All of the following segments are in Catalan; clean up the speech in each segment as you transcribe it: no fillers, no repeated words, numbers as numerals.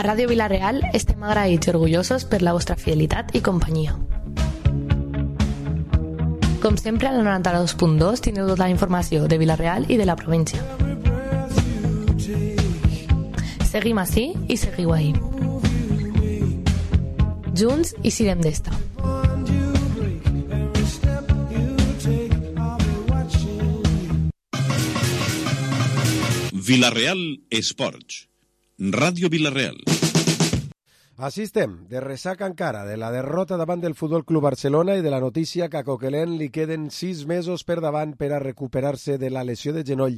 A Ràdio Vila-real estem agraïts i orgullosos per la vostra fidelitat i companyia. Com sempre, al 92.2 teniu tota la informació de Vila-real i de la província. Seguim ací i seguiu ahí. Junts i sirem d'esta. Vila-real Esports. Ràdio Vila-real. Així estem, de ressaca encara, de la derrota davant del Futbol Club Barcelona i de la notícia que a Coquelin li queden 6 mesos per davant per a recuperar-se de la lesió de genoll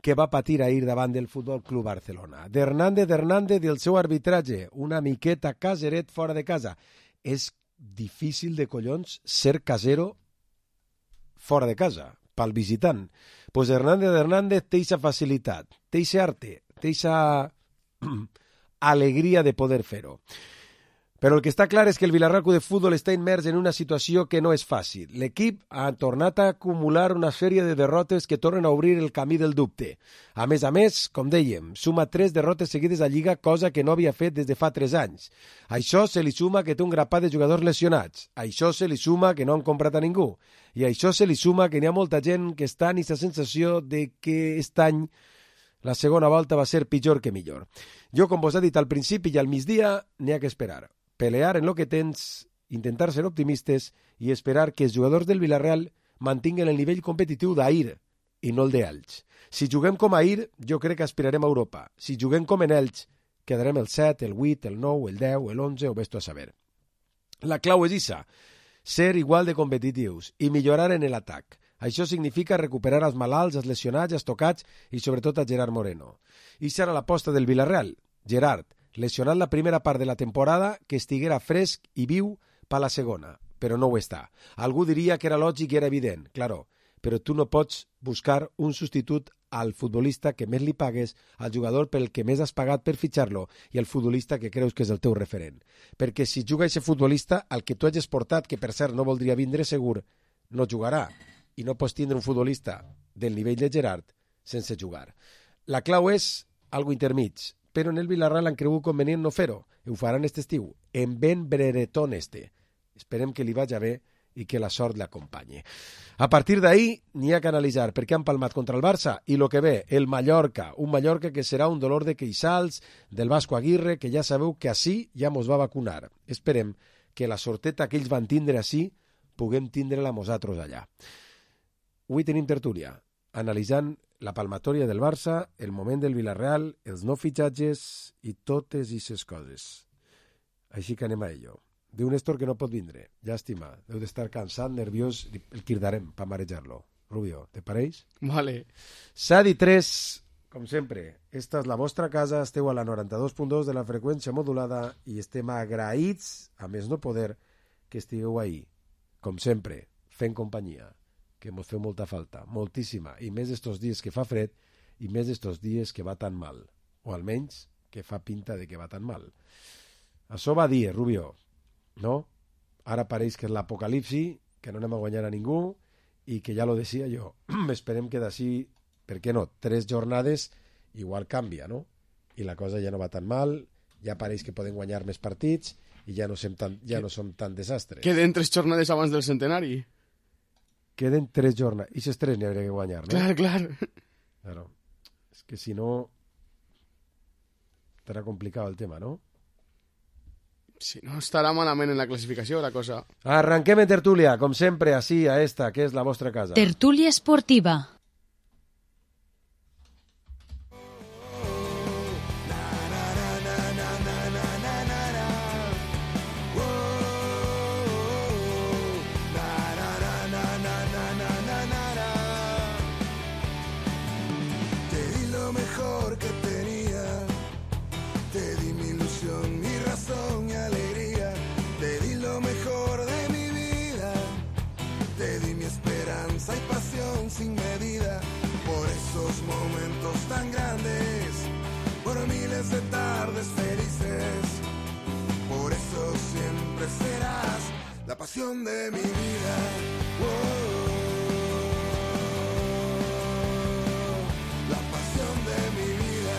que va patir ahir davant del Futbol Club Barcelona. D'Hernández i el seu arbitratge, una miqueta caseret fora de casa. És difícil de collons ser casero fora de casa, pel visitant. Pues Hernández té eixa facilitat, té eixa arte, té eixa alegria de poder fer-ho. Però el que està clar és que el Villarreal Club de Futbol està immers en una situació que no és fàcil. L'equip ha tornat a acumular una sèrie de derrotes que tornen a obrir el camí del dubte. A més, com dèiem, suma 3 derrotes seguides a Lliga, cosa que no havia fet des de fa 3 anys. A això se li suma que té un grapat de jugadors lesionats. A això se li suma que no han comprat a ningú. I a això se li suma que n'hi ha molta gent que està en aquesta sensació de que aquest any la segona volta va ser pitjor que millor. Jo, com vos he dit al principi i al migdia, n'hi ha que esperar. Pelear en lo que tens, intentar ser optimistes i esperar que els jugadors del Villarreal mantinguen el nivell competitiu d'ahir i no el d'Elx. Si juguem com ahir, jo crec que aspirarem a Europa. Si juguem com en Elx, quedarem el 7, el 8, el 9, el 10, el 11 o ves-tu a saber. La clau és issa, ser igual de competitius i millorar en l'atac. Això significa recuperar els malalts, els lesionats, els tocats i sobretot a Gerard Moreno. I serà l'aposta del Villarreal. Gerard, lesionat la primera part de la temporada, que estiguera fresc i viu per la segona, però no ho està. Algú diria que era lògic i era evident, claro, però tu no pots buscar un substitut al futbolista que més li pagues, al jugador pel que més has pagat per fitxar-lo i al futbolista que creus que és el teu referent. Perquè si juga aquest futbolista, el que tu hagis portat, que per cert no voldria vindre segur, no jugarà. I no pots tindre un futbolista del nivell de Gerard sense jugar. La clau és algo intermig, però en el Villarreal han cregut convenient no fer-ho. Ho faran aquest estiu, en ben breretón este. Esperem que li vagi bé i que la sort l'acompanye. A partir d'ahir n'hi ha que analitzar perquè han palmat contra el Barça i lo que ve, el Mallorca, un Mallorca que serà un dolor de queixals del Vasco Aguirre, que ja sabeu que així ja mos va vacunar. Esperem que la sorteta que ells van tindre així puguem tindre-la nosaltres allà. Avui tenim tertúlia, analitzant la palmatòria del Barça, el moment del Villarreal, els no fitxatges i totes aquestes coses. Així que anem a ello. Diu Néstor que no pot vindre. Llàstima, deu d'estar cansat, nerviós, el cridarem per marejar-lo. Rubio, te pareix? Vale. Sadi 3, com sempre, esta és la vostra casa, esteu a la 92.2 de la freqüència modulada i estem agraïts, a més no poder, que estigueu ahí, com sempre, fent companyia, que mos feu molta falta, moltíssima, i més estos dies que fa fred i més estos dies que va tan mal, o almenys que fa pinta de que va tan mal. Això va dir, Rubio, no? Ara pareix que és l'apocalipsi, que no anem a guanyar a ningú i que ja lo decía jo, esperem que d'ací, per què no, 3 jornades igual canvia, no? I la cosa ja no va tan mal, ja pareix que poden guanyar més partits i ja no som tan desastres. Queden 3 jornades abans del centenari. Queden 3 jornades. I aquests 3 n'hi hauria que guanyar, no? Clar. Claro. És que si no estarà complicat el tema, no? Si no, estarà malament en la classificació la cosa. Arranquem en tertúlia, com sempre, així, a esta, que és la vostra casa. Tertúlia esportiva. Sin medida, por esos momentos tan grandes, por miles de tardes felices, por eso siempre serás la pasión de mi vida. La pasión de mi vida.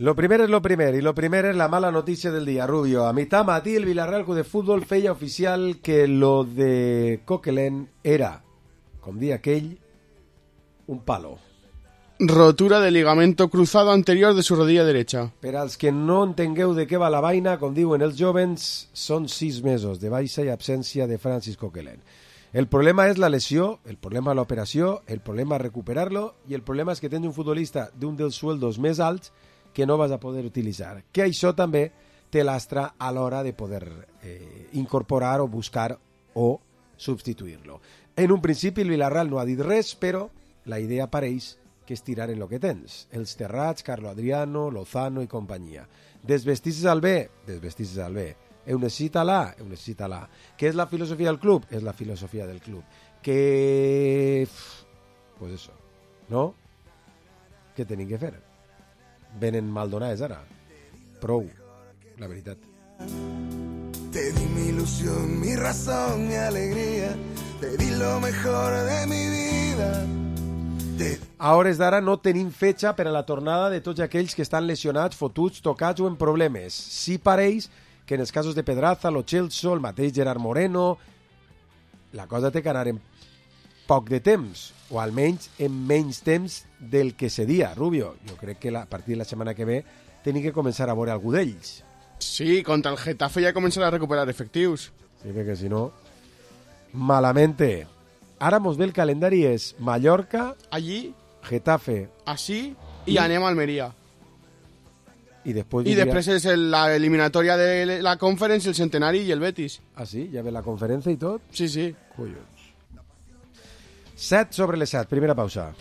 Lo primer és lo primer, i lo primer és la mala notícia del dia, Rubio. A mitjà matí el Villarreal Club de Fútbol feia oficial que lo de Coquelin era, com dia aquell, un palo. Rotura de ligamento cruzado anterior de su rodilla derecha. Per als que no entengueu de què va la vaina, com diuen els jovens, són 6 mesos de baixa i absència de Francis Coquelin. El problema és la lesió, el problema és l'operació, el problema és recuperar-lo i el problema és que tens un futbolista d'un dels sueldos més alts que no vas a poder utilitzar. Que això també té lastra a l'hora de poder incorporar o buscar o substituir-lo. En un principi el Villarreal no ha dit res, però la idea pareix que és tirar en lo que tens. Els Terrats, Carlo Adriano, Lozano i companyia. Desvestir-se al bé, desvestir-se al bé. Necessita-la. Què és la filosofia del club? És la filosofia del club. Que... pues eso, no? Què tenim que fer? Venen Maldonades ara. Prou, la veritat. Te di mi ilusión, mi razón, mi alegría. Te di lo mejor de mi vida. A hores d'ara no tenim fetge per a la tornada de tots aquells que estan lesionats, fotuts, tocats o en problemes. Sí pareix que en els casos de Pedraza, Lo Celso, el mateix Gerard Moreno, la cosa té que anar en poc de temps, o almenys en menys temps del que seria, Rubio. Jo crec que a partir de la setmana que ve tenim que començar a veure algú d'ells. Sí, contra el Getafe ya comenzará a recuperar efectivos. Sí, perquè si no, malamente. Ara mos ve el calendari és Mallorca, allí, Getafe, así, y anem a Almería. Y después es la eliminatoria de la Conference, el Centenari y el Betis. Ah, sí? Ja ve la conferència i tot? Sí, sí. Collons. 7 sobre les 7, primera pausa.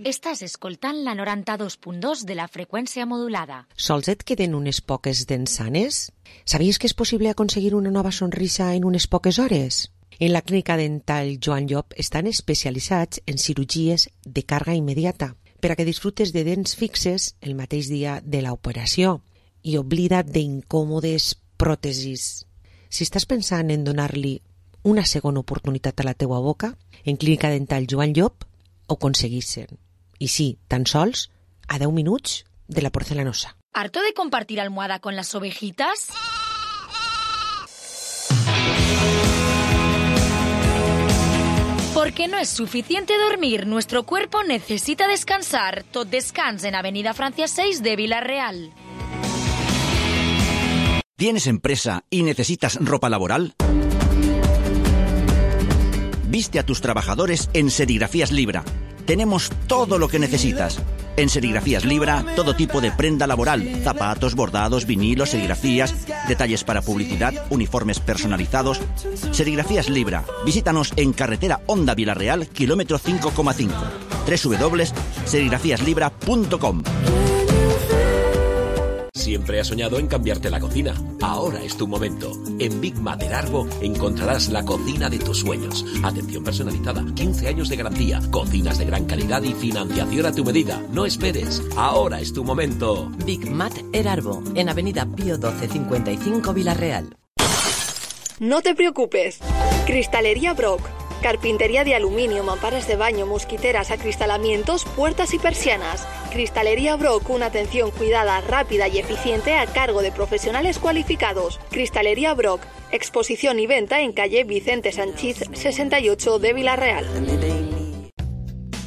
Estàs escoltant la 92.2 de la freqüència modulada. Sols et queden unes poques dents sanes? Sabies que és possible aconseguir una nova sonrisa en unes poques hores? En la clínica dental Joan Llop estan especialitzats en cirurgies de càrrega immediata per a que disfrutes de dents fixes el mateix dia de l'operació i oblida't d'incòmodes pròtesis. Si estàs pensant en donar-li una segona oportunitat a la teua boca, en clínica dental Joan Llop ho aconseguissin. I sí, tan sols a 10 minuts de la porcelanosa. ¿Harto de compartir almohada con las ovejitas? Porque no es suficiente dormir, nuestro cuerpo necesita descansar. Tot Descans en Avenida Francia 6 de Vila-real. ¿Tienes empresa y necesitas ropa laboral? Viste a tus trabajadores en Serigrafías Libra. Tenemos todo lo que necesitas. En Serigrafías Libra, todo tipo de prenda laboral, zapatos, bordados, vinilos, serigrafías, detalles para publicidad, uniformes personalizados. Serigrafías Libra. Visítanos en carretera Honda Vila-real, kilómetro 5,5. www.serigrafíaslibra.com. Siempre has soñado en cambiarte la cocina. Ahora es tu momento. En Big Mater Arbo encontrarás la cocina de tus sueños. Atención personalizada, 15 años de garantía, cocinas de gran calidad y financiación a tu medida. No esperes. Ahora es tu momento. Big Mater Arbo, en Avenida Pío 12 55 Vila-real. No te preocupes. Cristalería Brock. Carpintería de aluminio, mamparas de baño, mosquiteras, acristalamientos, puertas y persianas. Cristalería Brock, una atención cuidada, rápida y eficiente a cargo de profesionales cualificados. Cristalería Brock, exposición y venta en calle Vicente Sanchís 68 de Vila-real.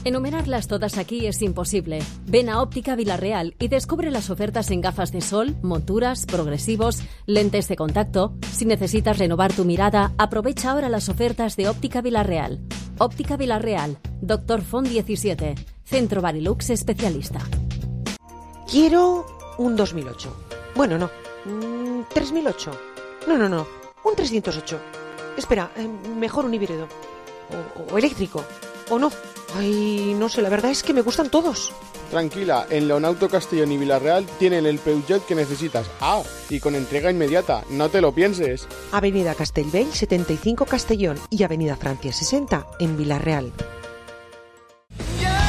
Enumerarlas todas aquí es imposible. Ven a Óptica Vila-real y descubre las ofertas en gafas de sol, monturas, progresivos, lentes de contacto. Si necesitas renovar tu mirada, aprovecha ahora las ofertas de Óptica Vila-real. Óptica Vila-real, Dr. Font 17, Centro Barilux especialista. Quiero un 2008. Bueno, no. 3008. No. Un 308. Espera, mejor un híbrido. O eléctrico. O no. Ay, no sé, la verdad es que me gustan todos. Tranquila, en Leonauto Castellón y Villarreal tienen el Peugeot que necesitas. Ah, y con entrega inmediata, no te lo pienses. Avenida Castellbell 75 Castellón y Avenida Francia 60 en Villarreal.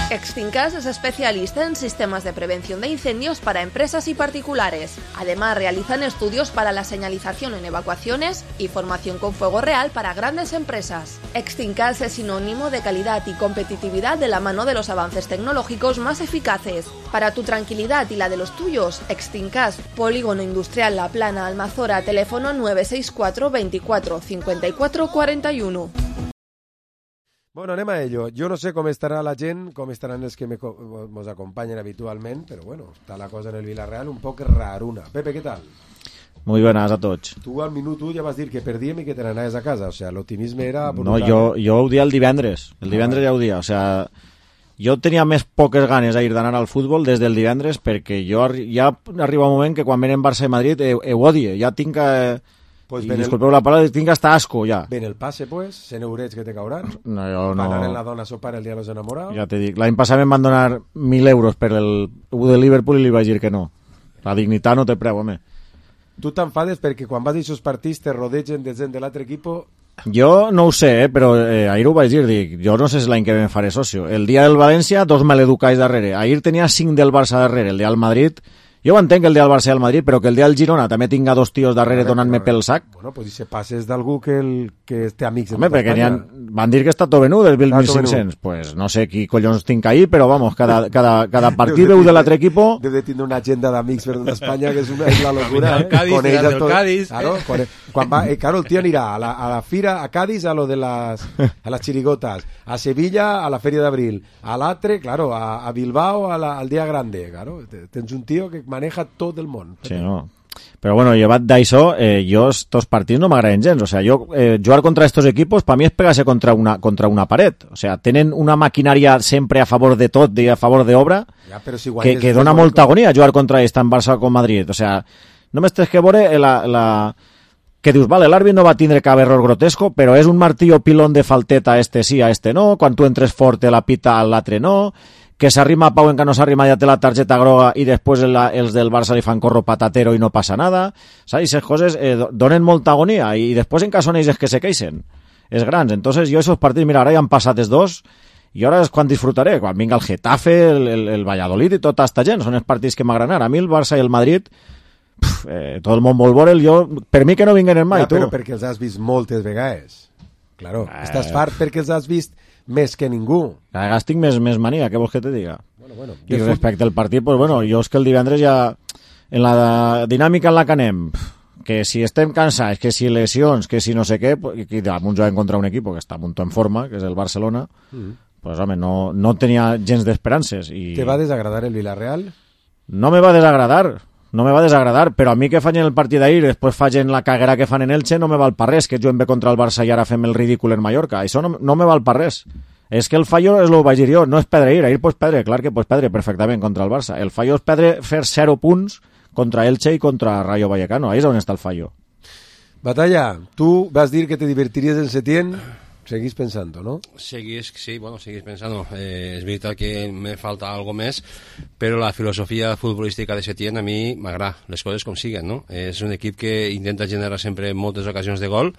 Extincas es especialista en sistemas de prevención de incendios para empresas y particulares. Además, realizan estudios para la señalización en evacuaciones y formación con fuego real para grandes empresas. Extincas es sinónimo de calidad y competitividad de la mano de los avances tecnológicos más eficaces. Para tu tranquilidad y la de los tuyos, Extincas, Polígono Industrial La Plana, Almazora, teléfono 964 24 54 41. Bueno, anem a ello. Jo no sé com estarà la gent, com estaran els que ens acompanyen habitualment, però bueno, està la cosa en el Villarreal un poc raruna. Pepe, què tal? Muy buenas a tots. Tu al minut 1 ja vas dir que perdíem i que te n'anaves a casa, o sea, l'optimisme era brutal. No, jo ho dia el divendres ja ho dia, o sea, jo tenia més poques ganes d'ir d'anar al futbol des del divendres perquè jo ja arriba un moment que quan venen Barça i Madrid ho odie, ja tinc que... Pues i disculpeu la paraula, tinc hasta asco ja. Ven el passe, pues, 100 eurets que te cauran. No, jo no. Pagar en la dona a sopar el dia de los enamorados. Ja te dic, l'any passat em van donar 1.000 euros per el U de Liverpool i li vaig dir que no. La dignitat no té preu, home. Tu t'enfades perquè quan vas a aquests partits te rodegen de gent de l'altre equip? Jo no ho sé, però ahir ho vaig dir, dic, jo no sé si l'any que ven faré socio. El dia del València, 2 maleducats darrere. Ahir tenia 5 del Barça darrere, el dia del Madrid... Jo ho entenc el dia del Barça i el Madrid, però que el dia del Girona també tinga 2 tios darrere donant-me pel sac. Bueno, pues si se passes d'algú que té amics... Home, perquè van dir que està tot venut, el 1.500. Pues no sé qui collons tinc ahí, però vamos, cada partit veu de l'altre equipo... Deu de tindre una agenda d'amics per tota Espanya, que és la locura. Del Cádiz. Claro, el tio anirà a la fira, a Cádiz, a las chirigotas, a Sevilla, a la Feria d'Abril, a l'altre, claro, a Bilbao, al Dia Grande, claro. Tens un tio que maneja tot el món. Sí, no. Però bueno, llevat d'això, jo estos partits no m'agraden gens. O sea, jugar contra estos equipos, per mi és pegar-se contra una paret. O sea, tenen una maquinària sempre a favor de tot i a favor d'obra que dona molta agonia jugar contra ells, tant Barça com Madrid. O sea, només tens que veure que dius, vale, l'àrbit no va tindre cap error grotesco, però és un martillo pilón de falteta, este sí, a este no, quan tu entres fort la pita a l'altre no, que s'arrima Pau en que no s'arrima ja té la targeta groga i després els del Barça li fan corro patatero i no passa nada, saps? Aquestes coses donen molta agonia i després en cas són ells que se queixen, és grans. Entonces jo aquests partits, mira, ara ja han passat els 2 i ara és quan disfrutaré, quan vinga el Getafe, el Valladolid i tota esta gent, són els partits que m'agraden. A mi el Barça i el Madrid tot el món vol veure'l, per mi que no vinguen en mai, tu. Però perquè els has vist moltes vegades. Claro, estàs fart perquè els has vist més que ningú. Cada vegades tinc més mania, què vols que te diga? Bueno. I respecte al partit, pues bueno, jo és que el divendres ja, en la dinàmica en la que anem, que si estem cansats, que si lesions, que si no sé què, i damunt jugant contra un equip que està molt en forma, que és el Barcelona, pues home, no tenia gens d'esperances. Te va desagradar el Villarreal? No me va desagradar, però a mi que faig en el partit d'ahir, després faig en la caguera que fan en Elche, no me val per res, que juguem bé contra el Barça i ara fem el ridícul en Mallorca. Això no me val per res. És que el fallo, és el que vaig dir jo, no és perdre ahir pots perdre, clar que pots perdre perfectament contra el Barça. El fallo és perdre, fer 0 punts contra Elche i contra Rayo Vallecano, ahí és on està el fallo. Batalla, tu vas dir que te divertiries en Setién. Seguís pensando, ¿no? Seguís pensando. Es verdad que me falta algo més, però la filosofia futbolística de Setién a mi m'agrada, les coses com siguen, no? És un equip que intenta generar sempre moltes ocasions de gol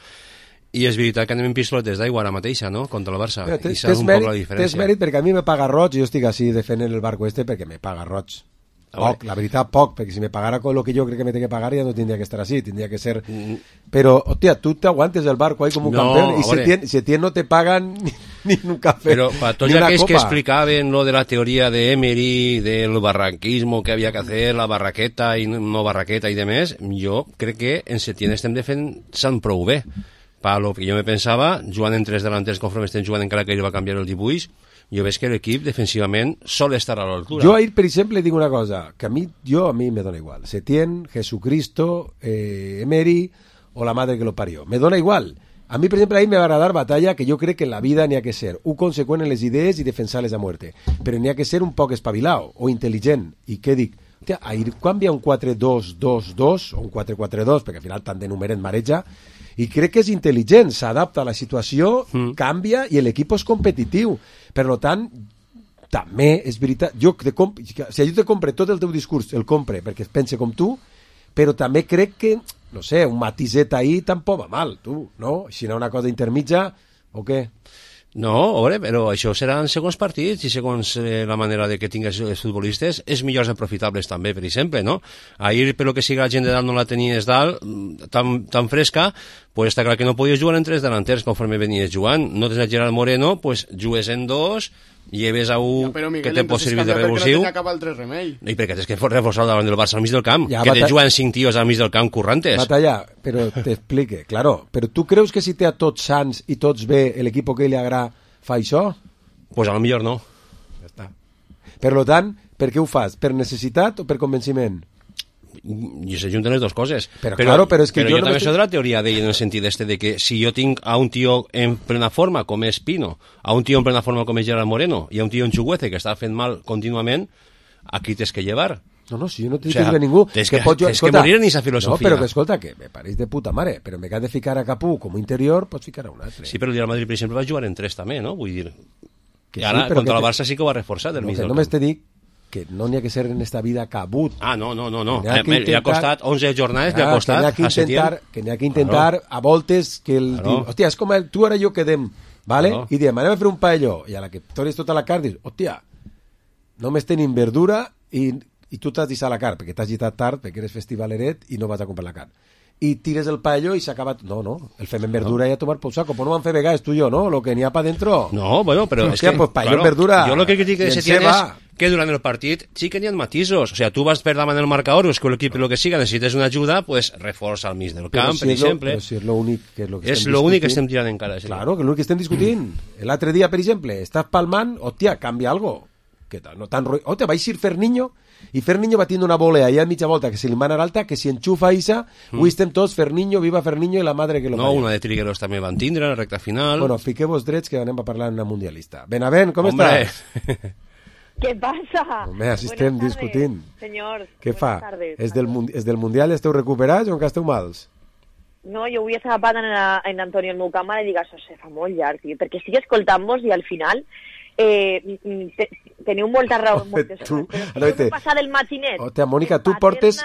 i és veritat que anem en pistoletes d'aigua ara mateixa, no?, contra el Barça. I saps un poc la diferència. Tens mèrit perquè a mi me paga roig i jo estic així defendent el barco perquè me paga roig. Poc, la veritat poc, perquè si me pagara con lo que yo creo que me tiene que pagar ya no tendría que estar así, tendría que ser... Pero, hostia, tú te aguantes el barco ahí como un campeón y Setién no te pagan ni un café, pero para tots aquells que explicaven lo de la teoria de Emery, del barranquismo que havia que hacer, la barraqueta i no barraqueta i demés, jo crec que en Setién estem defensant prou bé. Per lo que jo me pensava, jugant en 3 delanters conforme estem jugant encara que ell va canviar el dibuix, jo veig que l'equip defensivament sol estar a l'altura. Jo ahir, per exemple, dic una cosa, que a mi me dona igual. Setién, Jesucristo, Emery o la madre que lo parió. Me dona igual. A mi, per exemple, ahir me va agradar Batalla, que jo crec que en la vida n'hi ha que ser un conseqüent en les idees i defensar-les a muerte. Però n'hi ha que ser un poc espavilau o intel·ligent. I què dic? Hòstia, ahir quan hi ha un 4-2-2-2 o un 4-4-2, perquè al final tant de numeret mareja, i crec que és intel·ligent, s'adapta a la situació, canvia i l'equip és competitiu. Per tant, també és veritat, jo te compre tot el teu discurs, el compre perquè es pense com tu, però també crec que, no sé, un matiset ahí tampoc va mal, tu, no? Si no una cosa intermitja, o què? No, veure, però això seran segons partits i segons la manera de que tingues els futbolistes, és millors aprofitables també, per exemple, no? Ahir, per lo que sigui la gent de dalt no la tenies dalt, tan fresca, pues està clar que no podies jugar en 3 delanters conforme venies jugant. No tens a Gerard Moreno, pues jugues en 2, lleves a un que te pot servir de revulsiu. No acaba el 3 remei. I perquè tens que reforçar davant del Barça al mig del camp, ja, que te juguen 5 tios al mig del camp currantes. Batalla, però t'explique, claro, però tu creus que si té a tots sants i tots bé l'equip que li agrada fa això? Pues a lo millor no. Ja està. Per tant, per què ho fas? Per necessitat o per convenciment? I se junten les dues coses. Però és que jo també soc de la teoria d'ell en el sentit de que si jo tinc a un tio en plena forma com és Pino, a un tio en plena forma com és Gerard Moreno i a un tio en Chuguece que està fent mal contínuament, aquí tens que llevar. No, si jo no t'he dit que ningú... Tens que morir en aquesta filosofia. No, però que escolta, que me pareix de puta mare, però me que ha de ficar a Capú com interior, pots ficar a un altre. Sí, però el Real Madrid, per exemple, va jugar en 3 també, no? Vull dir... I ara, contra el Barça sí que ho ha reforçat del mig del camp. Només te dic que no n'hi ha que ser en esta vida cabut. Ah, no. Li ha costat 11 jornades, li ha costat a Setién. Que n'hi ha que intentar a voltes que el... Hòstia, és com tu ara i jo quedem, ¿vale? I diem, anem a fer un paelló, i a la que tornes tota la carn, dius, hòstia, només tenim verdura i tu t'has deixat la carn, perquè t'has gitat tard, perquè eres festivaleret i no vas a comprar la carn. I tires el paelló i s'ha acabat... No, el fem en verdura i a tomar por saco. Pues no van fer vegades tu i jo, ¿no? Lo que n'hi ha pa dentro. No, bueno, però és que... Pues paelló en verdura... Jo lo que critico de Setién és que durant el partit sí que n'hi ha matisos. O sea, tu vas per davant el marcador, és que l'equip lo que siga necessites una ajuda, pues reforça al mig del camp, per exemple. Però si és l'únic que estem discutint. És l'únic que estem tirant encara. Claro, que l'únic que estem discutint. L'altre dia, per exemple, estàs palmant, hòstia, canvia algo. Que no tan... Hòstia, va eixir Ferniño, i Ferniño va tindre una volea allà a mitja volta que se li mana alta, que si enxufa Isa, avui estem tots Ferniño, viva Ferniño i la madre que lo No, una de Trigueros també van tindre en la recta final. Bueno, fiqueu-vos drets que anem a parlar en una mundialista. Benavent, com estàs? ¿Qué pasa? Home, així estem discutint. Senyors, què fa? És del Mundial esteu recuperats o encara esteu mals? No, jo avui estava parlant en Antonio el meu càmera i dic, això se fa molt llarg, tio, perquè estic escoltant-vos i al final teniu molta raó en moltes coses, però si no passa del matinet. Hòstia, Mònica, tu portes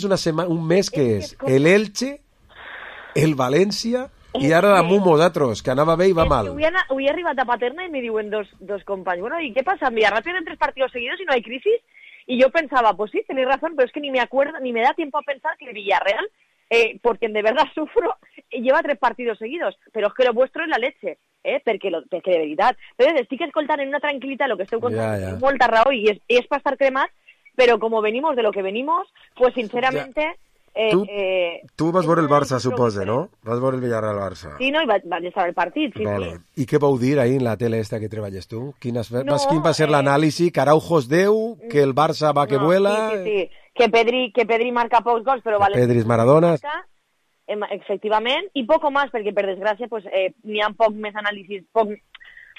un mes que és el Elche, el València i ara la Mumo d'altres, que anava bé i va mal. Avui he arribat a Paterna i me diuen dos companys, bueno, ¿y qué pasa? Villarreal tienen 3 partidos seguidos y no hay crisis. Y yo pensaba, pues sí, tenéis razón, pero es que ni me acuerdo, ni me da tiempo a pensar que el Villarreal, porque de verdad sufro, lleva 3 partidos seguidos, pero es que lo vuestro es la leche, perquè de veritat. Entonces, estic escoltant en una tranquil·litat lo que esteu contant, molta raó, i és per estar cremat, però como venimos de lo que venimos, pues sinceramente... Tu vas veure el Barça, suposa, no? Vas veure el Villarreal-Barça. Sí, no, i vaig estar al partit, sí. I què vau dir ahir en la tele esta que treballes tu? Quin va ser l'anàlisi? Que Araujo és Déu? Que el Barça va que vuela? Sí. Que Pedri marca pocs gols, però... Pedri és Maradona. Efectivament, i poco más, perquè per desgràcia pues, n'hi ha poc més anàlisis, poc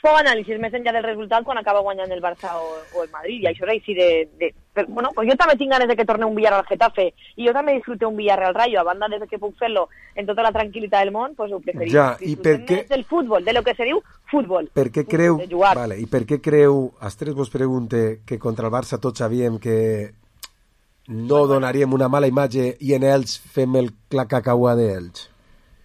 anàlisis més enllà del resultat quan acaba guanyant el Barça o el Madrid, i això és així bueno, pues jo també tinc ganes de que torni un Villarreal Getafe, i jo també disfrute un Villarreal Rayo, a banda de que puc fer-lo en tota la tranquil·litat del món, pues ho preferim. Ja, i per què... Del futbol, de lo que se diu futbol. Per què creu... Vale, i per què creu, als 3 vos pregunte, que contra el Barça tots sabíem que no donaríem una mala imatge i en ells fem la cacaua d'ells?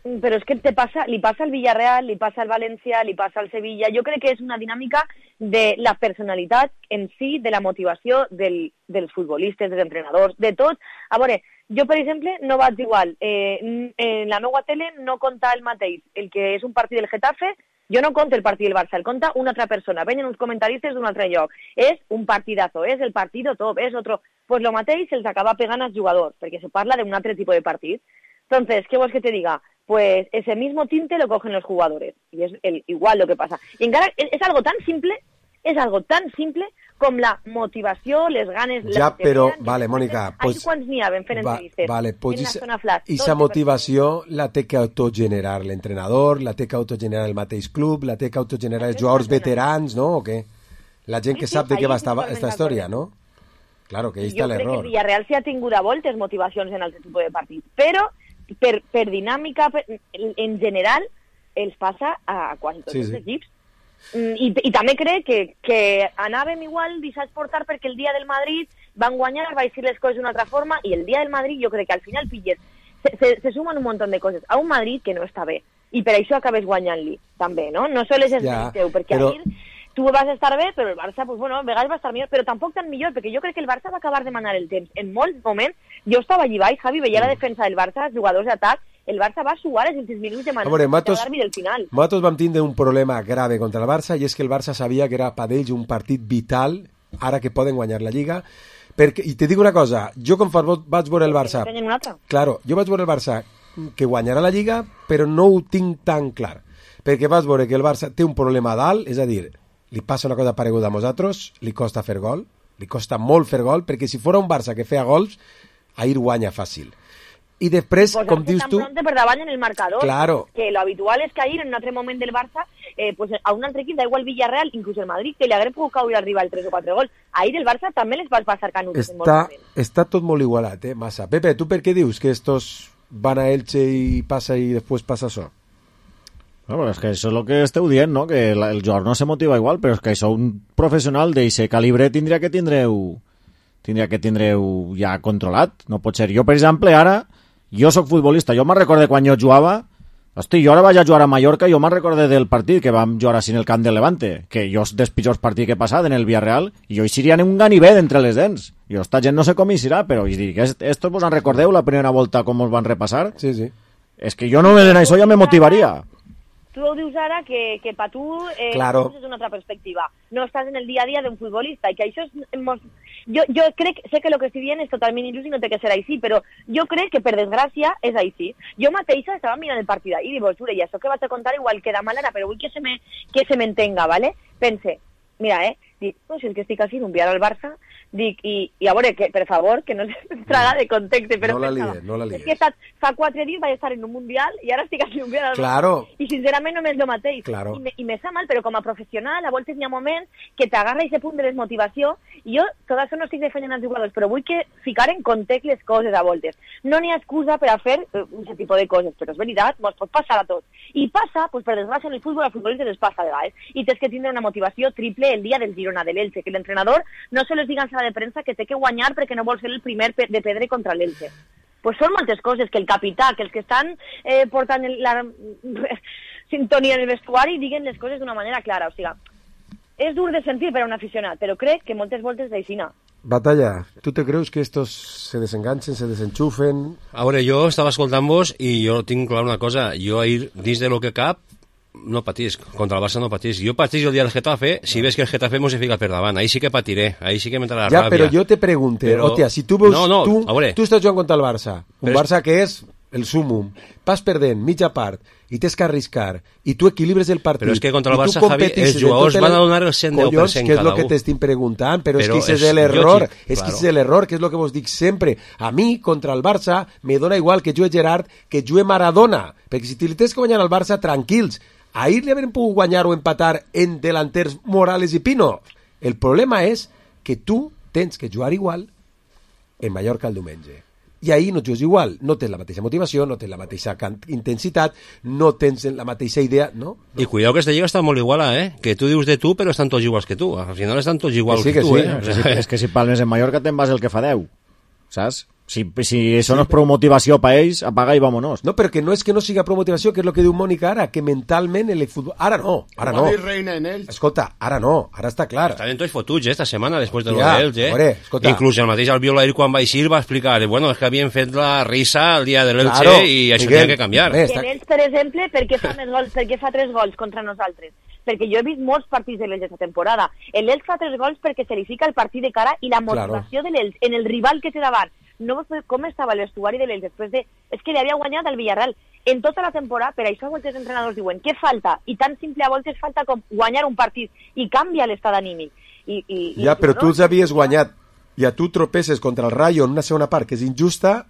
Però és que li passa al Villarreal, li passa al València, li passa al Sevilla. Jo crec que és una dinàmica de la personalitat en si, de la motivació dels futbolistes, dels entrenadors, de tot. A veure, jo, per exemple, no vaig igual. En la meva tele no conta el mateix. El que és un partit del Getafe, jo no conto el partit del Barça, el conta una altra persona. Venen uns comentaristes d'un altre lloc. És un partidazo, és el partido top, és otro... Pues lo mateix se'ls acaba pegant als jugadors, perquè se parla d'un altre tipus de partit. Entonces, ¿qué vols que te diga? Pues ese mismo tinte lo cogen los jugadores. Y es igual lo que pasa. Y encara es algo tan simple com la motivació, les ganes... Ja, però, vale, Mònica... Ahir quants n'hi ha ben fent entrevistes? Vale, pues esa motivació la té que autogenerar l'entrenador, la té que autogenerar el mateix club, la té que autogenerar els jugadors veterans, no? O què? La gent que sap de què va esta història, no? Claro, que ahí està l'error. Jo crec que Villarreal s'ha tingut a voltes motivacions en altre tipus de partit, però per dinàmica, en general, els passa a quasi tots els equips. I també crec que anàvem igual deixats portar perquè el dia del Madrid van guanyar, va dir les coses d'una altra forma, i el dia del Madrid jo crec que al final pilles, se sumen un munt de coses a un Madrid que no està bé, i per això acabes guanyant-li, també, no? No sols és el teu, perquè però... ahir tu vas estar bé, però el Barça, pues, bueno, a vegades va estar millor, però tampoc tan millor, perquè jo crec que el Barça va acabar de manar el temps. En molts moments, jo estava allí baix, Javi, veia la defensa del Barça, els jugadors d'atac, el Barça va suar els últims minuts de manar del final. Nosaltres vam tindre un problema grave contra el Barça, i és que el Barça sabia que era per ells un partit vital, ara que poden guanyar la Lliga, perquè, i te dic una cosa, jo com vaig veure el Barça... Claro, jo vaig veure el Barça que guanyarà la Lliga, però no ho tinc tan clar, perquè vaig veure que el Barça té un problema dalt, és a dir, li passa una cosa pareguda a nosaltres, li costa fer gol, li costa molt fer gol, perquè si fos un Barça que feia gols, ahir guanya fàcil. I després, pues com dius tu... per davant en el marcador, claro. Que lo habitual és que ahir, en un altre moment del Barça, pues a un altre equip, da igual Villarreal, inclús el Madrid, que li hagués pogut caure arriba el 3 o 4 gols. Ahir el Barça també les va passar canuts. Està tot molt igualat, massa. Pepe, tu per què dius que estos van a Elche i passa i després passa això? No, és que això és el que esteu dient, no? Que el jugador no se motiva igual, però és que això un professional d'aquest calibre tindria que tindreu ja controlat. No pot ser. Jo, per exemple, ara, jo sóc futbolista, jo me'n recorde quan jo jugava, hosti, jo ara vaig a jugar a Mallorca, jo me'n recorde del partit que vam jugar així en el camp de Levante, que jo és dels pitjors partits que he passat en el Villarreal, i jo hi seria un ganivet entre les dents. Jo, esta gent no sé com hi serà, però estos vos en recordeu la primera volta com us van repassar? Sí, sí. És que jo no en això ja me motivaria. Tu ho dius ara que per tu claro. És una altra perspectiva. No estàs en el dia a dia d'un futbolista, i que això és... Jo crec, sé que el que estic dient és totalment il·lús i no té que ser així, però jo crec que, per desgràcia, és així. Jo mateixa estava mirant el partit d'ahir i dic, jure, i això que vaig a contar igual queda mal ara, però vull que se m'entenga, ¿vale? Pense, mira, dic, no, si és que estic així, enviar al Barça, dic, i a veure, que, per favor, que no se traga de contexte, però no la lies. És que fa 4 dies vaig estar en un Mundial i ara estic així enviar al claro. Barça. I sincerament no m'és el mateix. Claro. I me sap mal, però com a professional, a voltes n'hi ha moments que t'agarra aquest punt de desmotivació, i jo tot això no estic defendent als jugadors, però vull que ficar en context les coses a voltes. No n'hi ha excusa per a fer aquest tipus de coses, però és veritat, mos pot passar a tots. I passa, pues, per desgràcia, en el futbol, als futbolistes els passa de vegades. I tens que tindre una motivació triple el dia del Girona de l'Elche, que l'entrenador no se les diga en sala de premsa que té que guanyar perquè no vol ser el primer de pedre contra l'Elche. Pues són moltes coses, que el capità, que els que estan portant la sintonia en el vestuari diguen les coses d'una manera clara. O sigui, és dur de sentir per a un aficionat, però crec que moltes voltes d'aixina. Batalla, ¿tú te creus que estos se desenganchen, se desenchufen? A veure, jo estava escoltant-vos i jo tinc clar una cosa. Jo ahir, dins de lo que cap, no patís, contra el Barça no patís. Jo patís el dia del Getafe, si ves que el Getafe mos se fica per davant, ahí sí que patiré, ahí sí que m'entrarà la ràbia. Ja, però jo te pregunte, però... hòstia, si tu veus, tu estàs jugant contra el Barça, un Barça que és el súmum, vas perdent mitja part i tens que arriscar i tu equilibres el partit. Però és que contra el Barça, Javi, els jugadors van a donar el 110% collons, que és el que t'estic preguntant, però és que és l'error, és que és l'error, que és el que vos dic sempre. A mi, contra el Barça, me dona igual que jugue Gerard, que jugue Maradona, perquè si li tens que guanyar al Barça, tranquils. Ahir li haurem pogut guanyar o empatar en delanters Morales i Pino. El problema és que tu tens que jugar igual en Mallorca el diumenge. I ahir no jugues igual, no tens la mateixa motivació, no tens la mateixa intensitat, no tens la mateixa idea, no? I cuidado que esta lliga està molt iguala, que tu dius de tu, però estan tots iguals que tu. Al final estan tots iguals que tu, És que si palmes en Mallorca te'n vas el que fa 10, saps? Si això no és prou motivació per ells, apaga i vámonos. No, però que no és que no siga prou motivació, que és el que diu Mònica ara, que mentalment el futbol... Ara no. Escolta, ara no, ara està clar. Estaven tots fotuts esta setmana, després de lo d'Elx, Inclús el mateix Albiol ahir quan va eixir va explicar, bueno, és que havien fet la risa el dia de l'Elx i això tenia que canviar. Que l'Elx, per exemple, per què fa 3 gols contra nosaltres? Perquè jo he vist molts partits de l'Elx aquesta temporada. L'Elx fa 3 gols perquè se li fica el partit de cara i la motivació de l'Elx en el rival que té davant. No com estava l'estuari de l'Elx després de... És que li havia guanyat el Villarreal en tota la temporada, per això molts entrenadors diuen què falta, i tan simple a voltes falta com guanyar un partit, i canvia l'estat anímic. Ja, però tu els havies guanyat, i a tu tropeces contra el Rayo en una segona part que és injusta,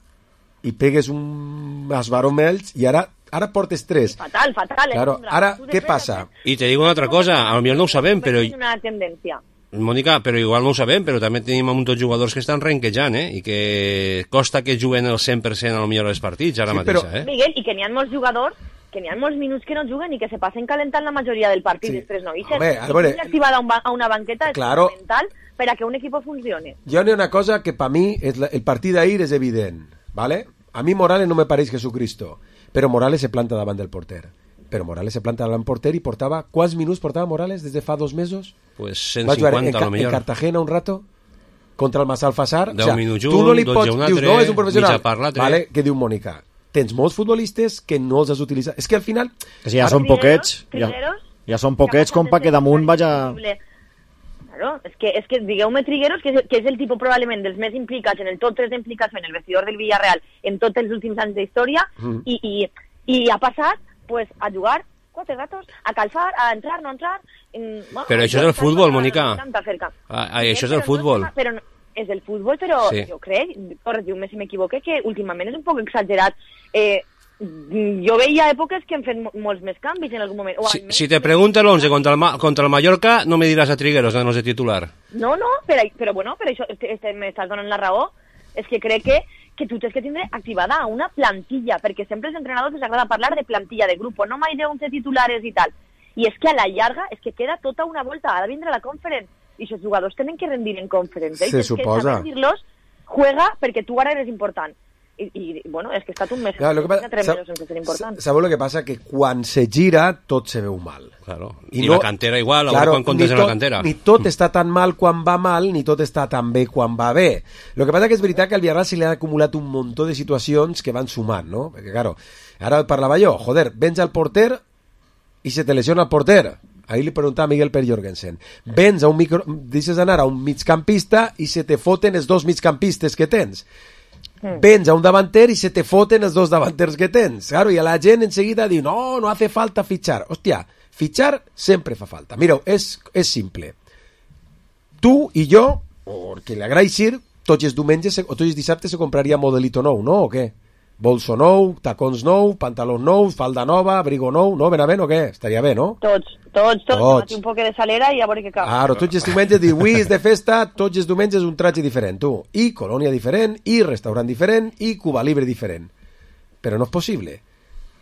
i pegues un esbaró amb ells, i ara portes 3. Fatal. Claro, ara, què passa? I te digo una altra cosa, a lo millor no ho sabem, però... És una tendència. Mònica, però igual no ho sabem, però també tenim un munt de jugadors que estan renquejant, i que costa que juguen el 100% a lo millor els partits ara mateixa, Miguel, i que n'hi ha molts jugadors que n'hi ha molts minuts que no juguen i que se passen calentant la majoria del partit, Sí. després no ixen. Home, a veure, activada a una banqueta és claro. fundamental per a que un equip funcione. Jo n'hi ha una cosa que per mi el partit d'ahir és evident, ¿vale? A mi Morales no me pareix Jesucristo, però Morales se planta davant del porter. Però Morales se planta davant del porter i portava... Quants minuts portava Morales des de fa 2 mesos? Pues Va jugar 150 a lo en millor. Cartagena un rato contra el Massalfassar. 10 minuts tu no li 12 pots... un Dius, altre, no, és un professional. mitja part l'altre. Vale, què diu Mònica? Tens molts futbolistes que no els has utilitzat. És que al final... Que si ja són poquets, ja són poquets com pa que damunt vaja... Claro, és que digueu-me Trigueros, que és el tipus probablement dels més implicats en el top 3 d'implicació en el vestidor del Villarreal en tots els últims anys d'història i ha passat pues, a jugar 4 ratos, a calfar, a entrar, no entrar... Bueno, però això és el futbol, Mònica. Això és el futbol. Però és el futbol, però sí. Jo crec, corregiu-me si m'equivoque, que últimament és un poc exagerat. Jo veia èpoques que han fet molts més canvis en algun moment. Si te pregunta l'11 contra el Mallorca, no me diràs a Trigueros, no sé titular. No, però bueno, per això m'estàs donant la raó. És que crec que tu tens que tindre activada una plantilla, perquè sempre als entrenadors els agrada parlar de plantilla, de grup, no mai d'11 titulares i tal. I és que a la llarga és que queda tota una volta, ha de vindre la Conference, i els jugadors tenen que rendir en Conference. Se suposa. Que dir-los, juega perquè tu ara eres important. I bueno, és que ha estat un mes. Claro, sabeu el que passa? Que quan se gira tot se veu mal. Claro. I no, la cantera igual, claro, quan comptes en la cantera. Ni tot està tan mal quan va mal, ni tot està tan bé quan va bé. El que passa que és veritat que al Villarreal se li ha acumulat un muntó de situacions que van sumant, no? Perquè, claro, ara parlava jo, joder, vens al porter i se te lesiona el porter. Ahir li preguntava a Miguel Per Jorgensen. Vens a deixes anar a un migcampista i se te foten els 2 migcampistes que tens. Vens a un davanter i se te foten els 2 davanters que tens. Claro, i a la gent enseguida diu, no hace falta fichar. Hòstia, fichar sempre fa falta. Mireu, és simple. Tu i jo, o el que li agradi dir, tots els diumenges o tots els dissabtes se compraria modelito nou, no? O què? Bolso nou, tacons nou, pantalons nous, falda nova, abrigo nou, no? Benavent o què? Estaria bé, no? Tots. Un poc de salera i a veure què cal. Claro, tots els diumenges diu, avui és de festa, tots els diumenges un tratge diferent, tu. I colònia diferent, i restaurant diferent, i Cuba Libre diferent. Però no és possible.